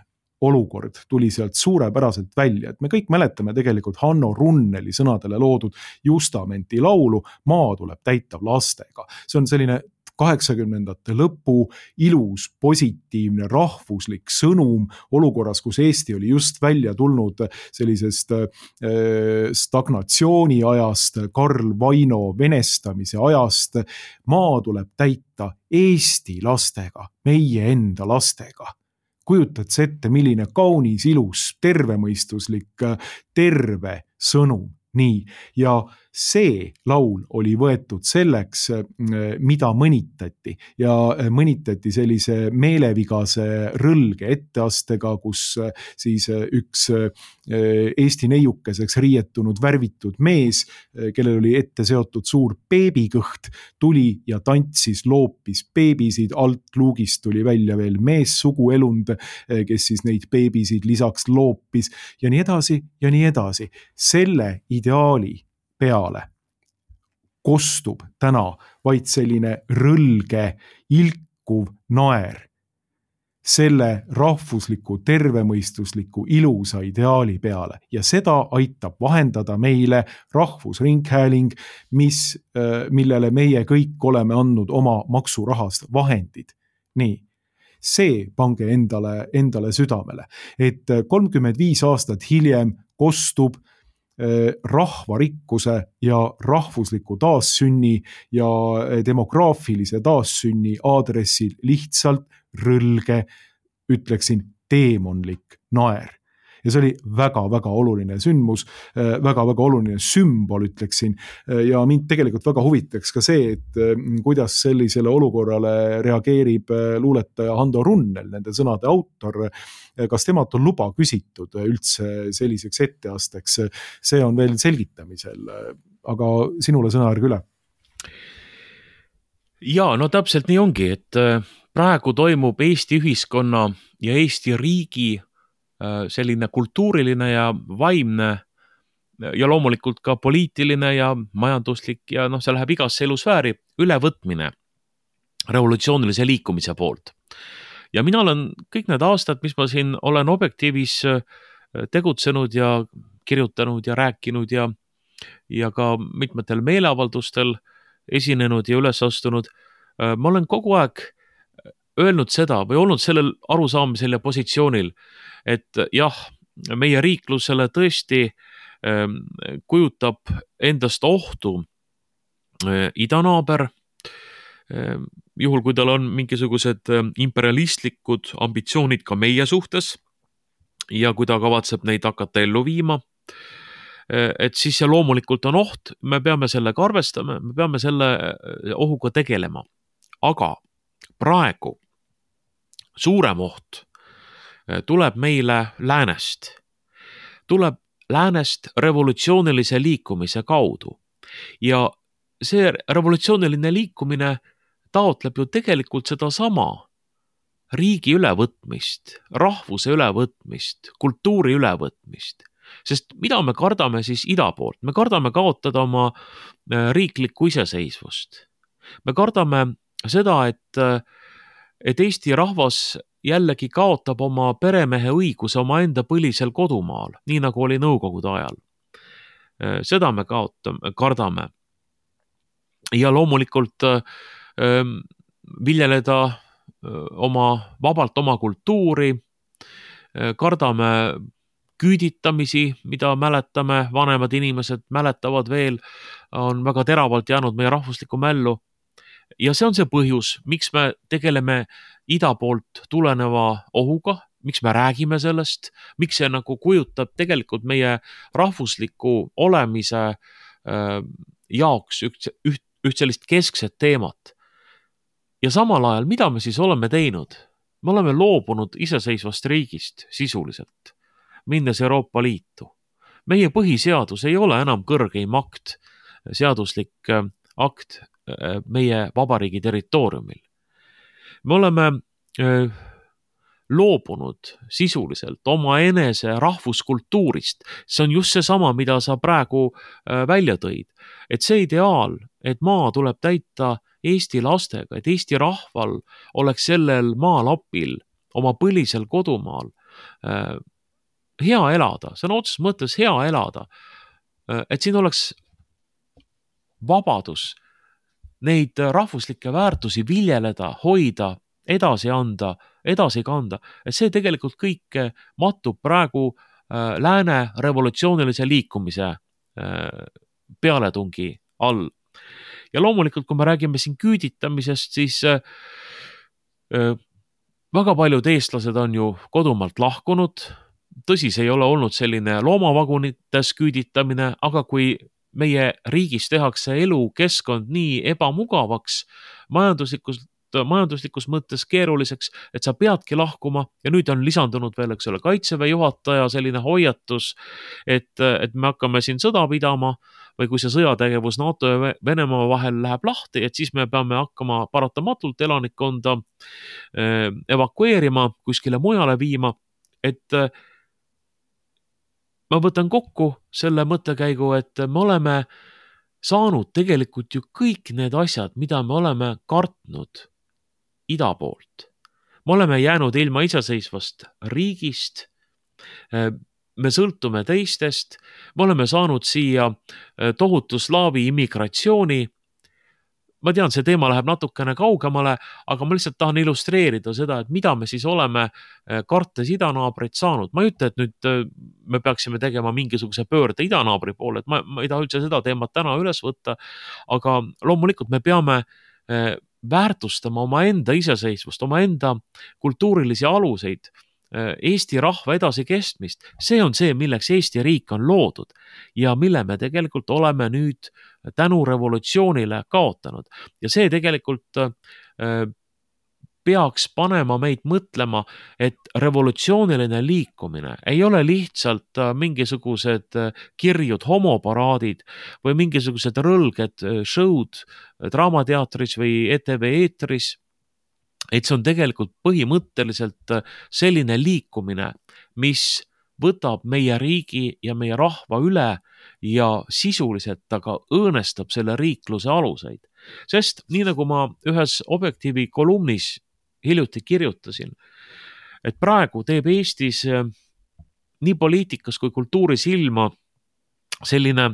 olukord tuli sealt suurepäraselt välja, et me kõik mäletame tegelikult Hanno Runneli sõnadele loodud Justamenti laulu Maa tuleb täitav lastega. See on selline kaheksakümnendate lõpu ilus, positiivne, rahvuslik sõnum olukorras, kus Eesti oli just välja tulnud sellisest stagnatsiooni ajast, Karl Vaino venestamise ajast. Maa tuleb täita Eesti lastega, meie enda lastega. Kujutad sa ette, milline kaunis, ilus, tervemõistuslik, terve sõnum. Nii, ja see laul oli võetud selleks, mida mõnitati ja mõnitati sellise meelevigase rõlge etteastega, kus siis üks Eesti neiukeseks riietunud värvitud mees, kellel oli ette seotud suur beebikõht, tuli ja tantsis, loopis beebisid, alt luugist tuli välja veel mees suguelund, kes siis neid beebisid lisaks loopis ja nii edasi ja nii edasi. Selle ideaali peale kostub täna vaid selline rõlge, ilkuv naer selle rahvusliku, tervemõistusliku, ilusa ideaali peale ja seda aitab vahendada meile Rahvusringhääling, mis, millele meie kõik oleme andnud oma maksurahast vahendid. Nii. See pange endale, endale südamele, et kolmkümmend viis aastat hiljem kostub rahvarikkuse ja rahvusliku taassünni ja demograafilise taassünni aadressil lihtsalt rõlge, ütleksin, teemonlik naer. Ja see oli väga-väga oluline sündmus, väga-väga oluline sümbol, ütleksin, ja mind tegelikult väga huvitaks ka see, et kuidas sellisele olukorrale reageerib luuletaja Hando Runnel, nende sõnade autor, kas temalt on luba küsitud üldse selliseks etteasteks, see on veel selgitamisel, aga sinule sõnajärg üle. Ja, no täpselt nii ongi, et praegu toimub Eesti ühiskonna ja Eesti riigi selline kultuuriline ja vaimne ja loomulikult ka poliitiline ja majanduslik ja noh, see läheb igasse elusfääri ülevõtmine revolutsioonilise liikumise poolt. Ja mina olen kõik need aastad, mis ma siin olen Objektiivis tegutsenud ja kirjutanud ja rääkinud ja, ja ka mitmetel meeleavaldustel esinenud ja üles astunud, ma olen kogu aeg öelnud seda või olnud sellel arusaamisel ja positsioonil, et jah, meie riiklusele tõesti kujutab endast ohtu idanaaber, juhul kui tal on mingisugused imperialistlikud ambitsioonid ka meie suhtes ja kui ta kavatseb neid hakata ellu viima, et siis see loomulikult on oht, me peame sellega arvestama, me peame selle ohuga tegelema. Aga praegu suurem oht tuleb meile läänest. Tuleb läänest revolutsioonilise liikumise kaudu. Ja see revolutsiooniline liikumine taotleb ju tegelikult seda sama riigi ülevõtmist, rahvuse ülevõtmist, kultuuri ülevõtmist. Sest mida me kardame siis ida poolt? Me kardame kaotada oma riiklikku iseseisvust. Me kardame seda, et, et Eesti rahvas jällegi kaotab oma peremehe õiguse oma enda põlisel kodumaal, nii nagu oli nõukogude ajal. Seda me kaotame, kardame. Ja loomulikult äh, viljeleda oma, vabalt oma kultuuri, kardame küüditamisi, mida mäletame, vanemad inimesed mäletavad veel, on väga teravalt jäänud meie rahvuslikku mällu. Ja see on see põhjus, miks me tegeleme ida poolt tuleneva ohuga, miks me räägime sellest, miks see nagu kujutab tegelikult meie rahvusliku olemise äh, jaoks üht, üht, üht sellist keskset teemat. Ja samal ajal, mida me siis oleme teinud? Me oleme loobunud iseseisvast riigist sisuliselt, minnes Euroopa Liitu. Meie põhiseadus ei ole enam kõrgeim akt, seaduslik akt meie vabariigi territooriumil. Me oleme öö, loobunud sisuliselt oma enese rahvuskultuurist. See on just see sama, mida sa praegu öö, välja tõid. Et see ideaal, et maa tuleb täita Eesti lastega, et Eesti rahval oleks sellel maalapil, oma põlisel kodumaal öö, hea elada, see on otseses mõttes hea elada, et siin oleks vabadus neid rahvuslikke väärtusi viljeleda, hoida, edasi anda, edasi kanda, et see tegelikult kõik mattub praegu lääne revolutsioonilise liikumise pealetungi all. Ja loomulikult, kui me räägime siin küüditamisest, siis väga paljud eestlased on ju kodumaalt lahkunud. Tõsi, see ei ole olnud selline loomavagunites küüditamine, aga kui meie riigis tehakse elukeskkond nii ebamugavaks, majanduslikus, majanduslikus mõttes keeruliseks, et sa peadki lahkuma ja nüüd on lisandunud veel, eks ole, kaitseväe juhataja selline hoiatus, et, et me hakkame siin sõda pidama või kui see sõjategevus NATO ja Venemaa vahel läheb lahti, et siis me peame hakkama paratamatult elanikkonda evakueerima, kuskile mujale viima, et ma võtan kokku selle mõttekäigu, et me oleme saanud tegelikult ju kõik need asjad, mida me oleme kartnud ida poolt. Me oleme jäänud ilma iseseisvast riigist, me sõltume teistest, me oleme saanud siia tohutu slaavi immigratsiooni. Ma tean, see teema läheb natukene kaugemale, aga ma lihtsalt tahan illustreerida seda, et mida me siis oleme kartes idanaabreid saanud. Ma ei ütle, et nüüd me peaksime tegema mingisuguse pöörde idanaabri poole, et ma, ma ei taha üldse seda teemat täna üles võtta, aga loomulikult me peame väärtustama oma enda iseseisvust, oma enda kultuurilisi aluseid, Eesti rahva edasikestmist. See on see, milleks Eesti riik on loodud ja mille me tegelikult oleme nüüd tänu revolutsioonile kaotanud. Ja see tegelikult peaks panema meid mõtlema, et revolutsiooniline liikumine ei ole lihtsalt mingisugused kirjud homoparaadid või mingisugused rõlged show'd draamateatris või E T V eetris, et see on tegelikult põhimõtteliselt selline liikumine, mis võtab meie riigi ja meie rahva üle ja sisuliselt aga õõnestab selle riikluse aluseid. Sest nii nagu ma ühes Objektiivi kolumnis hiljuti kirjutasin, et praegu teeb Eestis nii poliitikas kui kultuuris ilma selline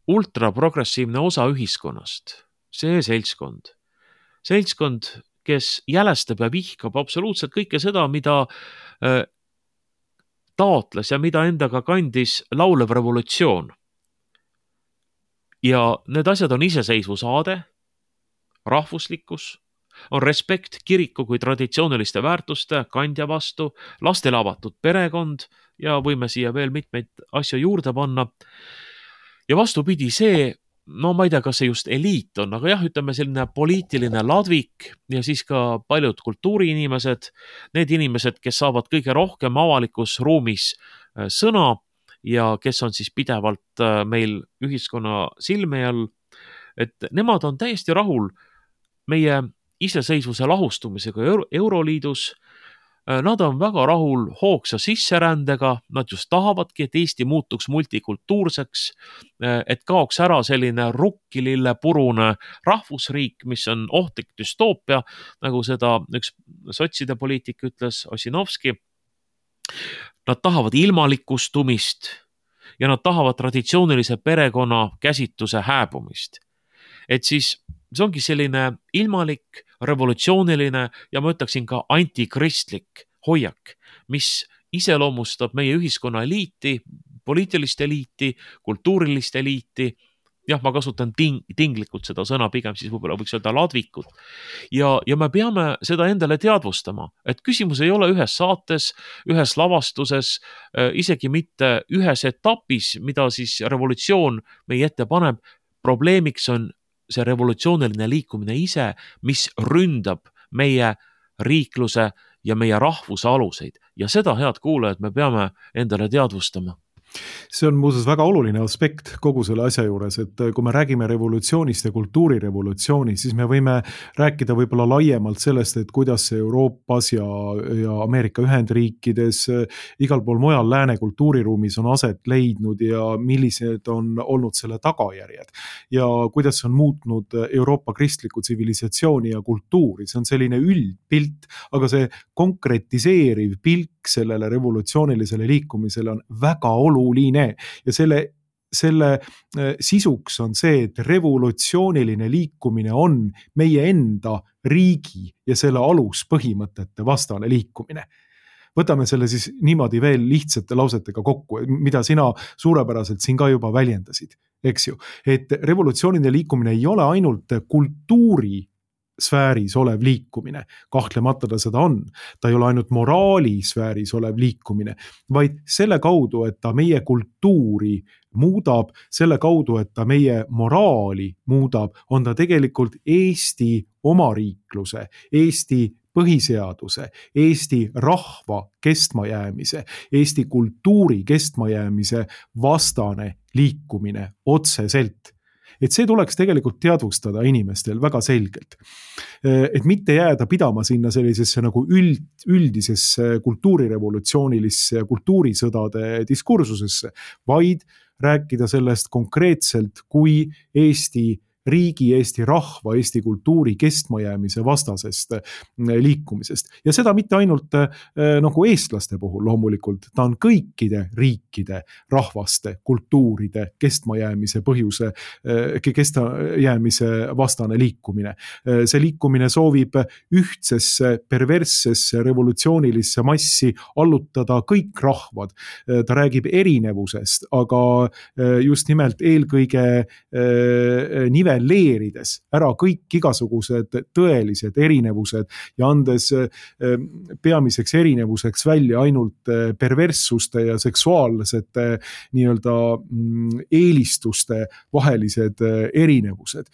ultraprogressiivne osa ühiskonnast, see seltskond. Seltskond, kes jälestab ja vihkab absoluutselt kõike seda, mida taotles ja mida endaga kandis laulev revolutsioon. Ja need asjad on iseseisvusaade, rahvuslikkus, on respekt kiriku kui traditsiooniliste väärtuste kandja vastu, lastele avatud perekond ja võime siia veel mitmeid asju juurde panna. Ja vastupidi, see, no ma ei tea, kas see just eliit on, aga jah, ütleme selline poliitiline ladvik ja siis ka paljud kultuuriinimesed, need inimesed, kes saavad kõige rohkem avalikus ruumis sõna ja kes on siis pidevalt meil ühiskonna silme all, et nemad on täiesti rahul meie iseseisvuse lahustumisega Euroliidus. Nad on väga rahul hoogsa sisserändega, nad just tahavadki, et Eesti muutuks multikultuurseks, et kaoks ära selline rukkilille purune rahvusriik, mis on ohtlik düstoopia, nagu seda üks sotside poliitik ütles, Ossinovski. Nad tahavad ilmalikustumist ja nad tahavad traditsioonilise perekonna käsitluse hääbumist. Et siis see ongi selline ilmalik, revolutsiooniline ja ma ütleksin ka antikristlik hoiak, mis iseloomustab meie ühiskonna eliiti, poliitilist eliiti, kultuurilist eliiti. Jah, ma kasutan ting- tinglikult seda sõna, pigem siis võib-olla võiks öelda ladvikut. Ja, ja me peame seda endale teadvustama, et küsimus ei ole ühes saates, ühes lavastuses, isegi mitte ühes etapis, mida siis revolutsioon meie ette paneb. Probleemiks on see revolutsiooniline liikumine ise, mis ründab meie riikluse ja meie rahvuse aluseid. Ja seda, head kuulajad, me peame endale teadvustama. See on muuseas väga oluline aspekt kogu selle asja juures, et kui me räägime revolutsioonist ja kultuurirevolutsioonist, siis me võime rääkida võib-olla laiemalt sellest, et kuidas see Euroopas ja, ja Ameerika Ühendriikides, igal pool mujal lääne kultuuriruumis on aset leidnud ja millised on olnud selle tagajärjed. Ja kuidas on muutnud Euroopa kristlikku tsivilisatsiooni ja kultuuri. See on selline üldpilt, aga see konkretiseeriv pilk sellele revolutsioonilisele liikumisele on väga oluline. Ja selle selle sisuks on see, et revolutsiooniline liikumine on meie enda riigi ja selle aluspõhimõtete vastane liikumine. Võtame selle siis niimoodi veel lihtsate lausetega kokku, mida sina suurepäraselt siin ka juba väljendasid, eks ju. Et revolutsiooniline liikumine ei ole ainult kultuuri sfääris olev liikumine, kahtlemata ta seda on. Ta ei ole ainult moraali sfääris olev liikumine, vaid selle kaudu, et ta meie kultuuri muudab, selle kaudu, et ta meie moraali muudab, on ta tegelikult Eesti omariikluse, Eesti põhiseaduse, Eesti rahva kestmajäämise, Eesti kultuuri kestmajäämise vastane liikumine otseselt. Et see tuleks tegelikult teadvustada inimestel väga selgelt. Et mitte jääda pidama sinna sellisesse nagu üld, üldisesse kultuurirevolutsioonilisse ja kultuurisõdade diskursusesse, vaid rääkida sellest konkreetselt kui Eesti riigi, Eesti rahva, Eesti kultuuri kestmajäämise vastasest liikumisest. Ja seda mitte ainult nagu eestlaste puhul loomulikult, ta on kõikide riikide, rahvaste, kultuuride kestmajäämise põhjuse, kestmajäämise vastane liikumine. See liikumine soovib ühtsesse, perverssesse, revolutsioonilisse massi allutada kõik rahvad. Ta räägib erinevusest, aga just nimelt eelkõige nivel leerides ära kõik igasugused tõelised erinevused ja andes peamiseks erinevuseks välja ainult perverssuste ja seksuaalsete nii-öelda eelistuste vahelised erinevused.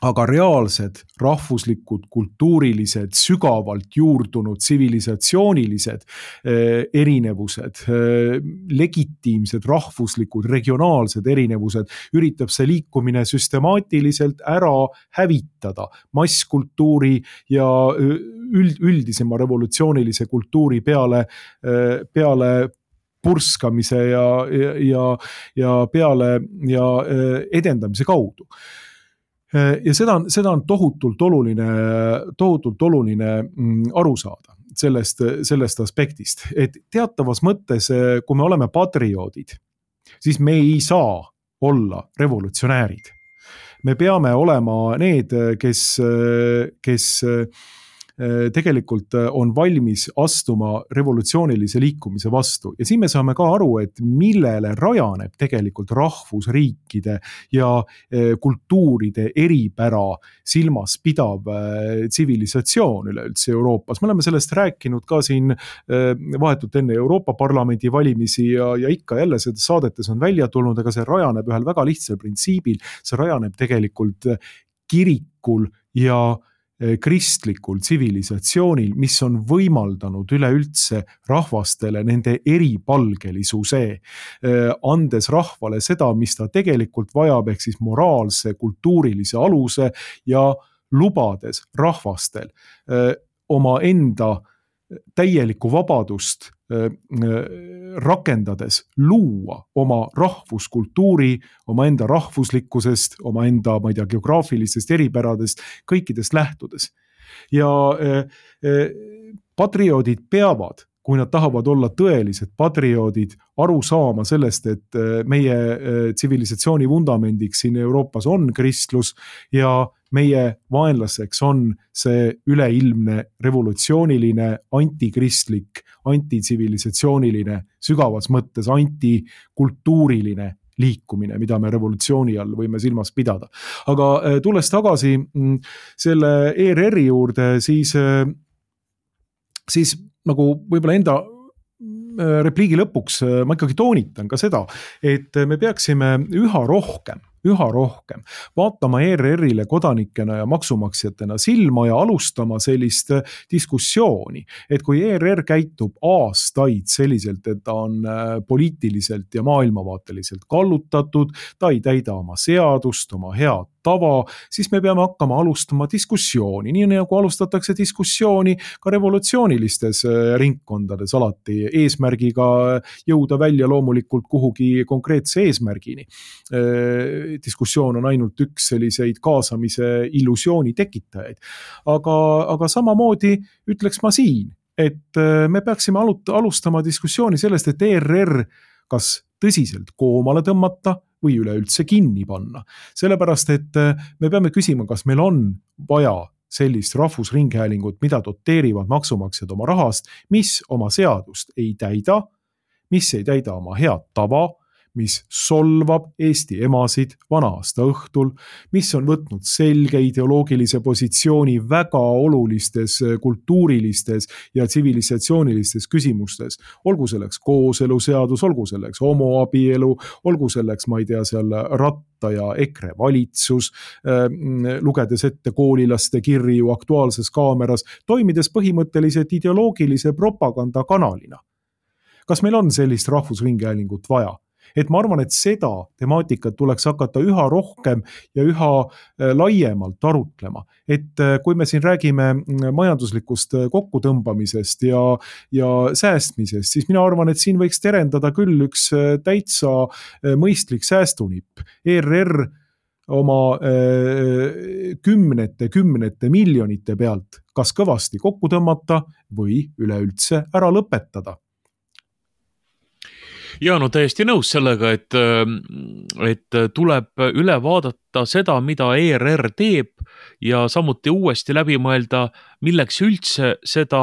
Aga reaalsed, rahvuslikud, kultuurilised, sügavalt juurdunud, tsivilisatsioonilised erinevused, legitiimsed, rahvuslikud, regionaalsed erinevused üritab see liikumine süstemaatiliselt ära hävitada masskultuuri ja üld, üldisema revolutsioonilise kultuuri peale, peale purskamise ja, ja, ja peale ja edendamise kaudu. Ja seda on, seda on tohutult oluline, tohutult oluline aru saada sellest, sellest aspektist, et teatavas mõttes, kui me oleme patrioodid, siis me ei saa olla revolutsionäärid. Me peame olema need, kes, kes tegelikult on valmis astuma revolutsioonilise liikumise vastu. Ja siin me saame ka aru, et millele rajaneb tegelikult rahvusriikide ja kultuuride eripära silmas pidav tsivilisatsioon üleüldse Euroopas. Me oleme sellest rääkinud ka siin vahetult enne Euroopa Parlamendi valimisi ja, ja ikka jälle seda saadetes on välja tulnud, aga see rajaneb ühel väga lihtsal printsiibil. See rajaneb tegelikult kirikul ja kristlikul tsivilisatsioonil, mis on võimaldanud üleüldse rahvastele nende eripalgelisuse, andes rahvale seda, mis ta tegelikult vajab, ehk siis moraalse, kultuurilise aluse ja lubades rahvastel oma enda täielikku vabadust rakendades luua oma rahvuskultuuri, oma enda rahvuslikkusest, oma enda, ma ei tea, geograafilistest eripäradest, kõikidest lähtudes. Ja patrioodid peavad, kui nad tahavad olla tõelised patrioodid, aru saama sellest, et meie tsivilisatsiooni vundamendiks siin Euroopas on kristlus ja meie vaenlaseks on see üleilmne revolutsiooniline, antikristlik, antitsivilisatsiooniline, sügavas mõttes antikultuuriline liikumine, mida me revolutsiooni all võime silmas pidada. Aga tulles tagasi selle E R R-i juurde, siis, siis nagu võib-olla enda repliigi lõpuks ma ikkagi toonitan ka seda, et me peaksime üha rohkem üha rohkem vaatama E R R-ile kodanikena ja maksumaksjatena silma ja alustama sellist diskussiooni, et kui E R R käitub aastaid selliselt, et ta on poliitiliselt ja maailmavaateliselt kallutatud, ta ei täida oma seadust, oma head tava, siis me peame hakkama alustama diskussiooni, nii nagu alustatakse diskussiooni ka revolutsioonilistes ringkondades alati eesmärgiga jõuda välja loomulikult kuhugi konkreetse eesmärgini. Diskussioon on ainult üks selliseid kaasamise illusiooni tekitajaid. Aga, aga samamoodi ütleks ma siin, et me peaksime alustama diskussiooni sellest, et E R R kas tõsiselt koomale tõmmata või üleüldse kinni panna. Sellepärast, et me peame küsima, kas meil on vaja sellist rahvusringhäälingut, mida doteerivad maksumaksjad oma rahast, mis oma seadust ei täida, mis ei täida oma head tava, mis solvab Eesti emasid vana-aasta õhtul, mis on võtnud selge ideoloogilise positsiooni väga olulistes kultuurilistes ja tsivilisatsioonilistes küsimustes. Olgu selleks kooseluseadus, olgu selleks homoabielu, olgu selleks, ma ei tea, seal Ratta ja EKRE valitsus, lugedes ette koolilaste kirju Aktuaalses Kaameras, toimides põhimõtteliselt ideoloogilise propaganda kanalina. Kas meil on sellist rahvusringhäälingut vaja? Et ma arvan, et seda temaatikat tuleks hakata üha rohkem ja üha laiemalt arutlema. Et kui me siin räägime majanduslikust kokkutõmbamisest ja, ja säästmisest, siis mina arvan, et siin võiks terendada küll üks täitsa mõistlik säästunipp. E R R oma kümnete, kümnete miljonite pealt kas kõvasti kokku tõmmata või üleüldse ära lõpetada. Ja no täiesti nõus sellega, et, et tuleb üle vaadata seda, mida E R R teeb ja samuti uuesti läbi mõelda, milleks üldse seda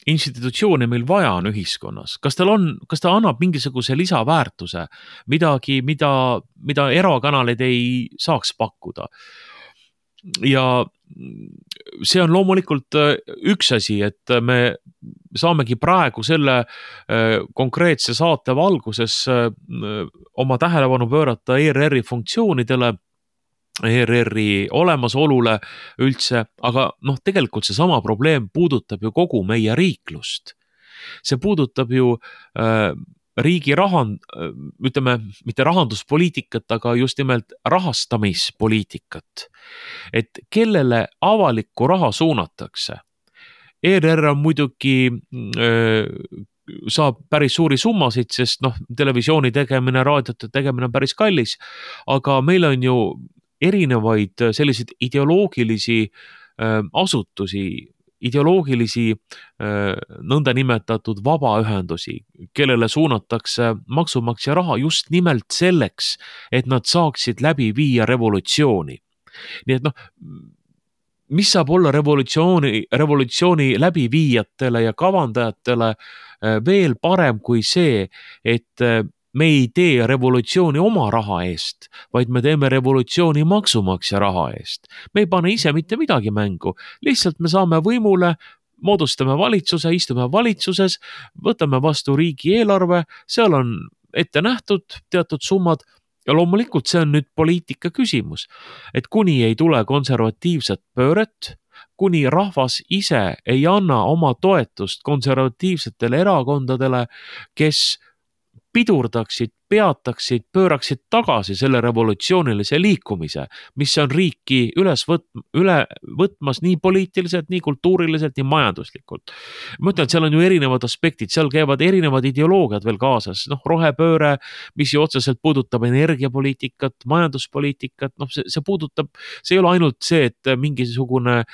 institutsiooni meil vaja on ühiskonnas. Kas tal on, kas ta annab mingisuguse lisaväärtuse, midagi, mida, mida erakanalid ei saaks pakkuda. Ja see on loomulikult üks asi, et me saamegi praegu selle konkreetse saate valguses oma tähelepanu pöörata E R R-i funktsioonidele, E R R-i olemasolule üldse, aga noh, tegelikult see sama probleem puudutab ju kogu meie riiklust. See puudutab ju äh, riigi rahand, ütleme, mitte rahanduspoliitikat, aga just nimelt rahastamispoliitikat. Et kellele avalikku raha suunatakse? E R R on muidugi öö, saab päris suuri summasid, sest noh, televisiooni tegemine, raadiote tegemine on päris kallis, aga meil on ju erinevaid selliseid ideoloogilisi öö, asutusi, ideoloogilisi nõnda nimetatud vabaühendusi, kellele suunatakse maksumaksja raha just nimelt selleks, et nad saaksid läbi viia revolutsiooni. Nii et noh, mis saab olla revolutsiooni, revolutsiooni läbiviijatele ja kavandajatele veel parem kui see, et me ei tee revolutsiooni oma raha eest, vaid me teeme revolutsiooni maksumaksja raha eest. Me ei pane ise mitte midagi mängu, lihtsalt me saame võimule, moodustame valitsuse, istume valitsuses, võtame vastu riigieelarve, seal on ette nähtud teatud summad ja loomulikult see on nüüd poliitika küsimus, et kuni ei tule konservatiivset pööret, kuni rahvas ise ei anna oma toetust konservatiivsetele erakondadele, kes pidurdaksid, peataksid, pööraksid tagasi selle revolutsioonilise liikumise, mis on riiki üles võt, üle võtmas nii poliitiliselt, nii kultuuriliselt, nii majanduslikult. Ma ütlen, et seal on ju erinevad aspektid, seal käivad erinevad ideoloogiad veel kaasas, noh, rohepööre, mis ju otseselt puudutab energiapoliitikat, majanduspoliitikat, noh, see, see puudutab, see ei ole ainult see, et mingisugune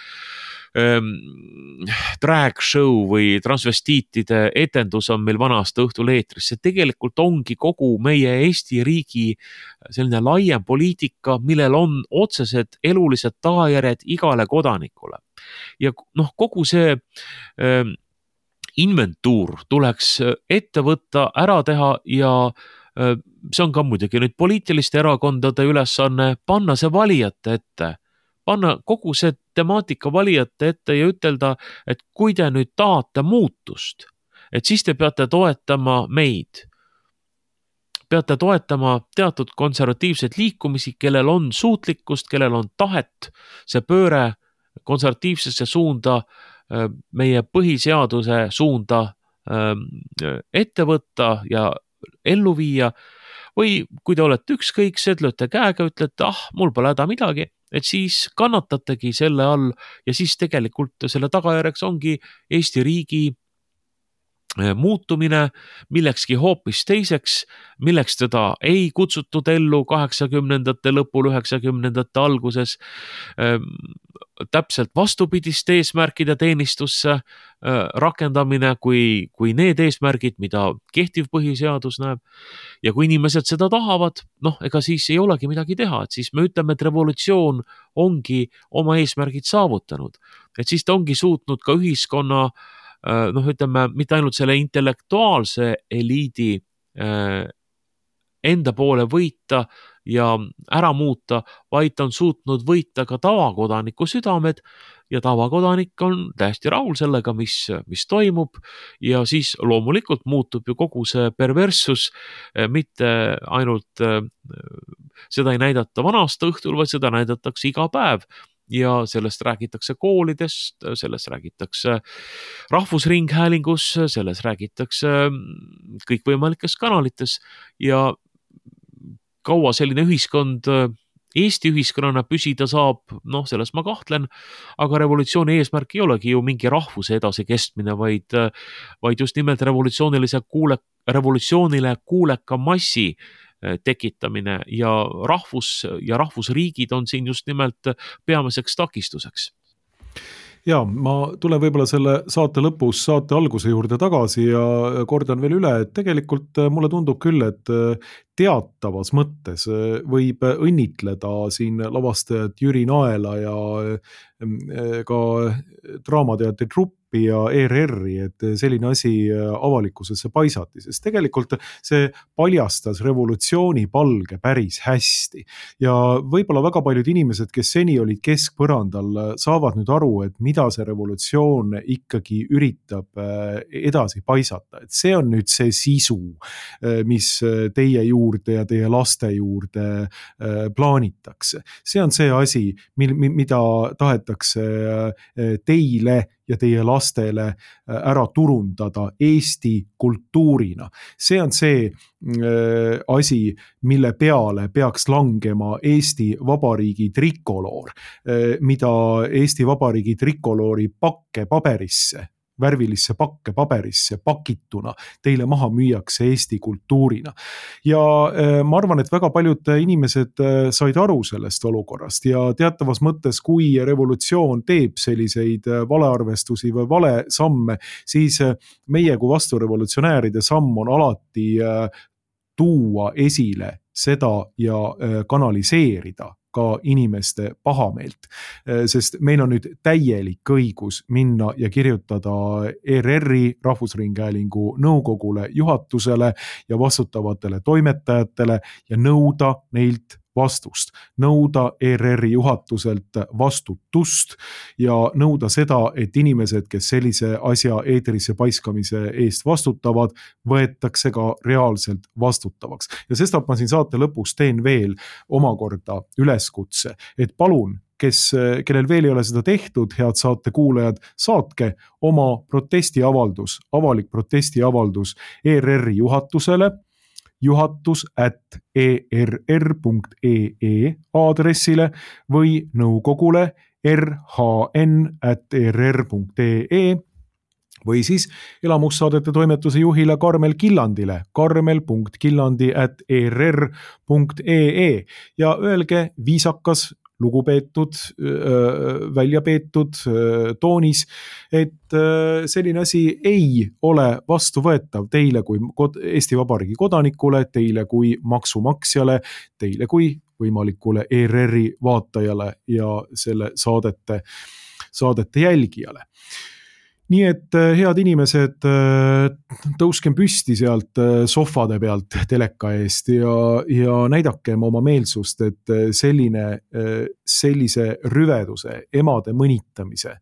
drag show või transvestiitide etendus on meil vana-aasta õhtul eetris. See tegelikult ongi kogu meie Eesti riigi selline laiem poliitika, millel on otsesed elulised tagajärjed igale kodanikule. Ja noh, kogu see ähm, inventuur tuleks ette võtta, ära teha ja äh, see on ka muidugi nüüd poliitiliste erakondade ülesanne panna see valijate ette. Panna kogu see temaatika valijate ette ja ütelda, et kui te nüüd tahate muutust, et siis te peate toetama meid. Peate toetama teatud konservatiivseid liikumisi, kellel on suutlikkust, kellel on tahet see pööre konservatiivsesse suunda, meie põhiseaduse suunda ette võtta ja ellu viia. Või kui te olete ükskõiksed, lööte käega, ütlete, ah, mul pole häda midagi, et siis kannatategi selle all ja siis tegelikult selle tagajärjeks ongi Eesti riigi muutumine millekski hoopis teiseks, milleks teda ei kutsutud ellu kaheksakümnendate lõpul, üheksakümnendate alguses. täpselt vastupidiste eesmärkide teenistusse rakendamine kui, kui need eesmärgid, mida kehtiv põhiseadus näeb. Ja kui inimesed seda tahavad, noh, ega siis ei olegi midagi teha, et siis me ütleme, et revolutsioon ongi oma eesmärgid saavutanud. Et siis ta ongi suutnud ka ühiskonna, noh, ütleme, mitte ainult selle intellektuaalse eliidi enda poole võita ja ära muuta, vaid ta on suutnud võita ka tavakodaniku südamed ja tavakodanik on täiesti rahul sellega, mis, mis toimub ja siis loomulikult muutub ju kogu see perverssus, mitte ainult seda ei näidata vana-aasta õhtul, vaid seda näidatakse iga päev. Ja sellest räägitakse koolidest, sellest räägitakse rahvusringhäälingus, sellest räägitakse kõikvõimalikes kanalites ja kaua selline ühiskond Eesti ühiskonnana püsida saab, noh, selles ma kahtlen, aga revolutsiooni eesmärk ei olegi ju mingi rahvuse edasi kestmine, vaid, vaid just nimelt revolutsioonilise kuule, revolutsioonile kuuleka massi tekitamine ja rahvus ja rahvusriigid on siin just nimelt peamiseks takistuseks. Ja, ma tulen võib-olla selle saate lõpus saate alguse juurde tagasi ja kordan veel üle, et tegelikult mulle tundub küll, et teatavas mõttes võib õnnitleda siin lavastajat Jüri Naela ja ka Draamateatri truppi ja E R R-i, et selline asi avalikkusesse paisati, sest tegelikult see paljastas revolutsiooni palge päris hästi. Ja võib-olla väga paljud inimesed, kes seni olid keskpõrandal, saavad nüüd aru, et mida see revolutsioon ikkagi üritab edasi paisata. Et see on nüüd see sisu, mis teie juurde ja teie laste juurde plaanitakse. See on see asi, mida tahetakse teile ja teie lastele ära turundada Eesti kultuurina. See on see asi, mille peale peaks langema Eesti Vabariigi trikoloor, mida Eesti Vabariigi trikoloori pakke paberisse, värvilisse pakke paberisse pakituna teile maha müüakse Eesti kultuurina. Ja ma arvan, et väga paljud inimesed said aru sellest olukorrast ja teatavas mõttes, kui revolutsioon teeb selliseid valearvestusi või vale samme, siis meie kui vasturevolutsionääride samm on alati tuua esile seda ja kanaliseerida ka inimeste pahameelt, sest meil on nüüd täielik õigus minna ja kirjutada E R R-i Rahvusringhäälingu nõukogule, juhatusele ja vastutavatele toimetajatele ja nõuda neilt vastust, nõuda E R R-i juhatuselt vastutust ja nõuda seda, et inimesed, kes sellise asja eetrisse paiskamise eest vastutavad, võetakse ka reaalselt vastutavaks. Ja sestap ma siin saate lõpus teen veel omakorda üleskutse, et palun, kes, kellel veel ei ole seda tehtud, head saate kuulajad, saatke oma protestiavaldus, avalik protestiavaldus E R R-i juhatusele, juhatus at e r r punkt e e aadressile või nõukogule r h n at e r r punkt e e või siis elamussaadete toimetuse juhile Karmel Killandile karmel punkt killandi at e r r punkt e e ja öelge viisakas, lugupeetud, välja peetud toonis, et selline asi ei ole vastuvõetav teile kui Eesti Vabariigi kodanikule, teile kui maksumaksjale, teile kui võimalikule E R R-i vaatajale ja selle saadete, saadete jälgijale. Nii et head inimesed, tõuskem püsti sealt sohvade pealt teleka eest ja, ja näidakem oma meelsust, et selline, sellise rüveduse, emade mõnitamise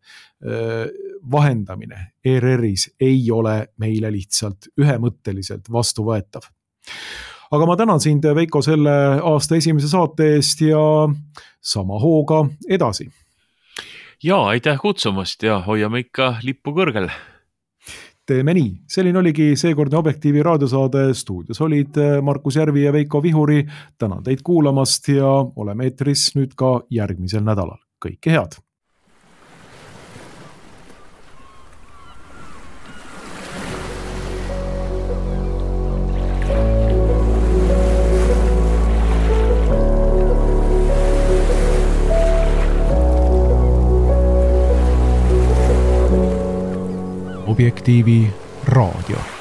vahendamine E R R-is ei ole meile lihtsalt ühemõtteliselt vastuvõetav. Aga ma tänan sind, Veiko, selle aasta esimese saate eest ja sama hooga edasi. Jaa, aitäh kutsumast ja hoiame ikka lippu kõrgel. Teeme nii. Selline oligi seekordne Objektiivi raadiosaade. Stuudios olid Markus Järvi ja Veiko Vihuri. Tänan teid kuulamast ja oleme eetris nüüd ka järgmisel nädalal. Kõike head! Objektiivi raadio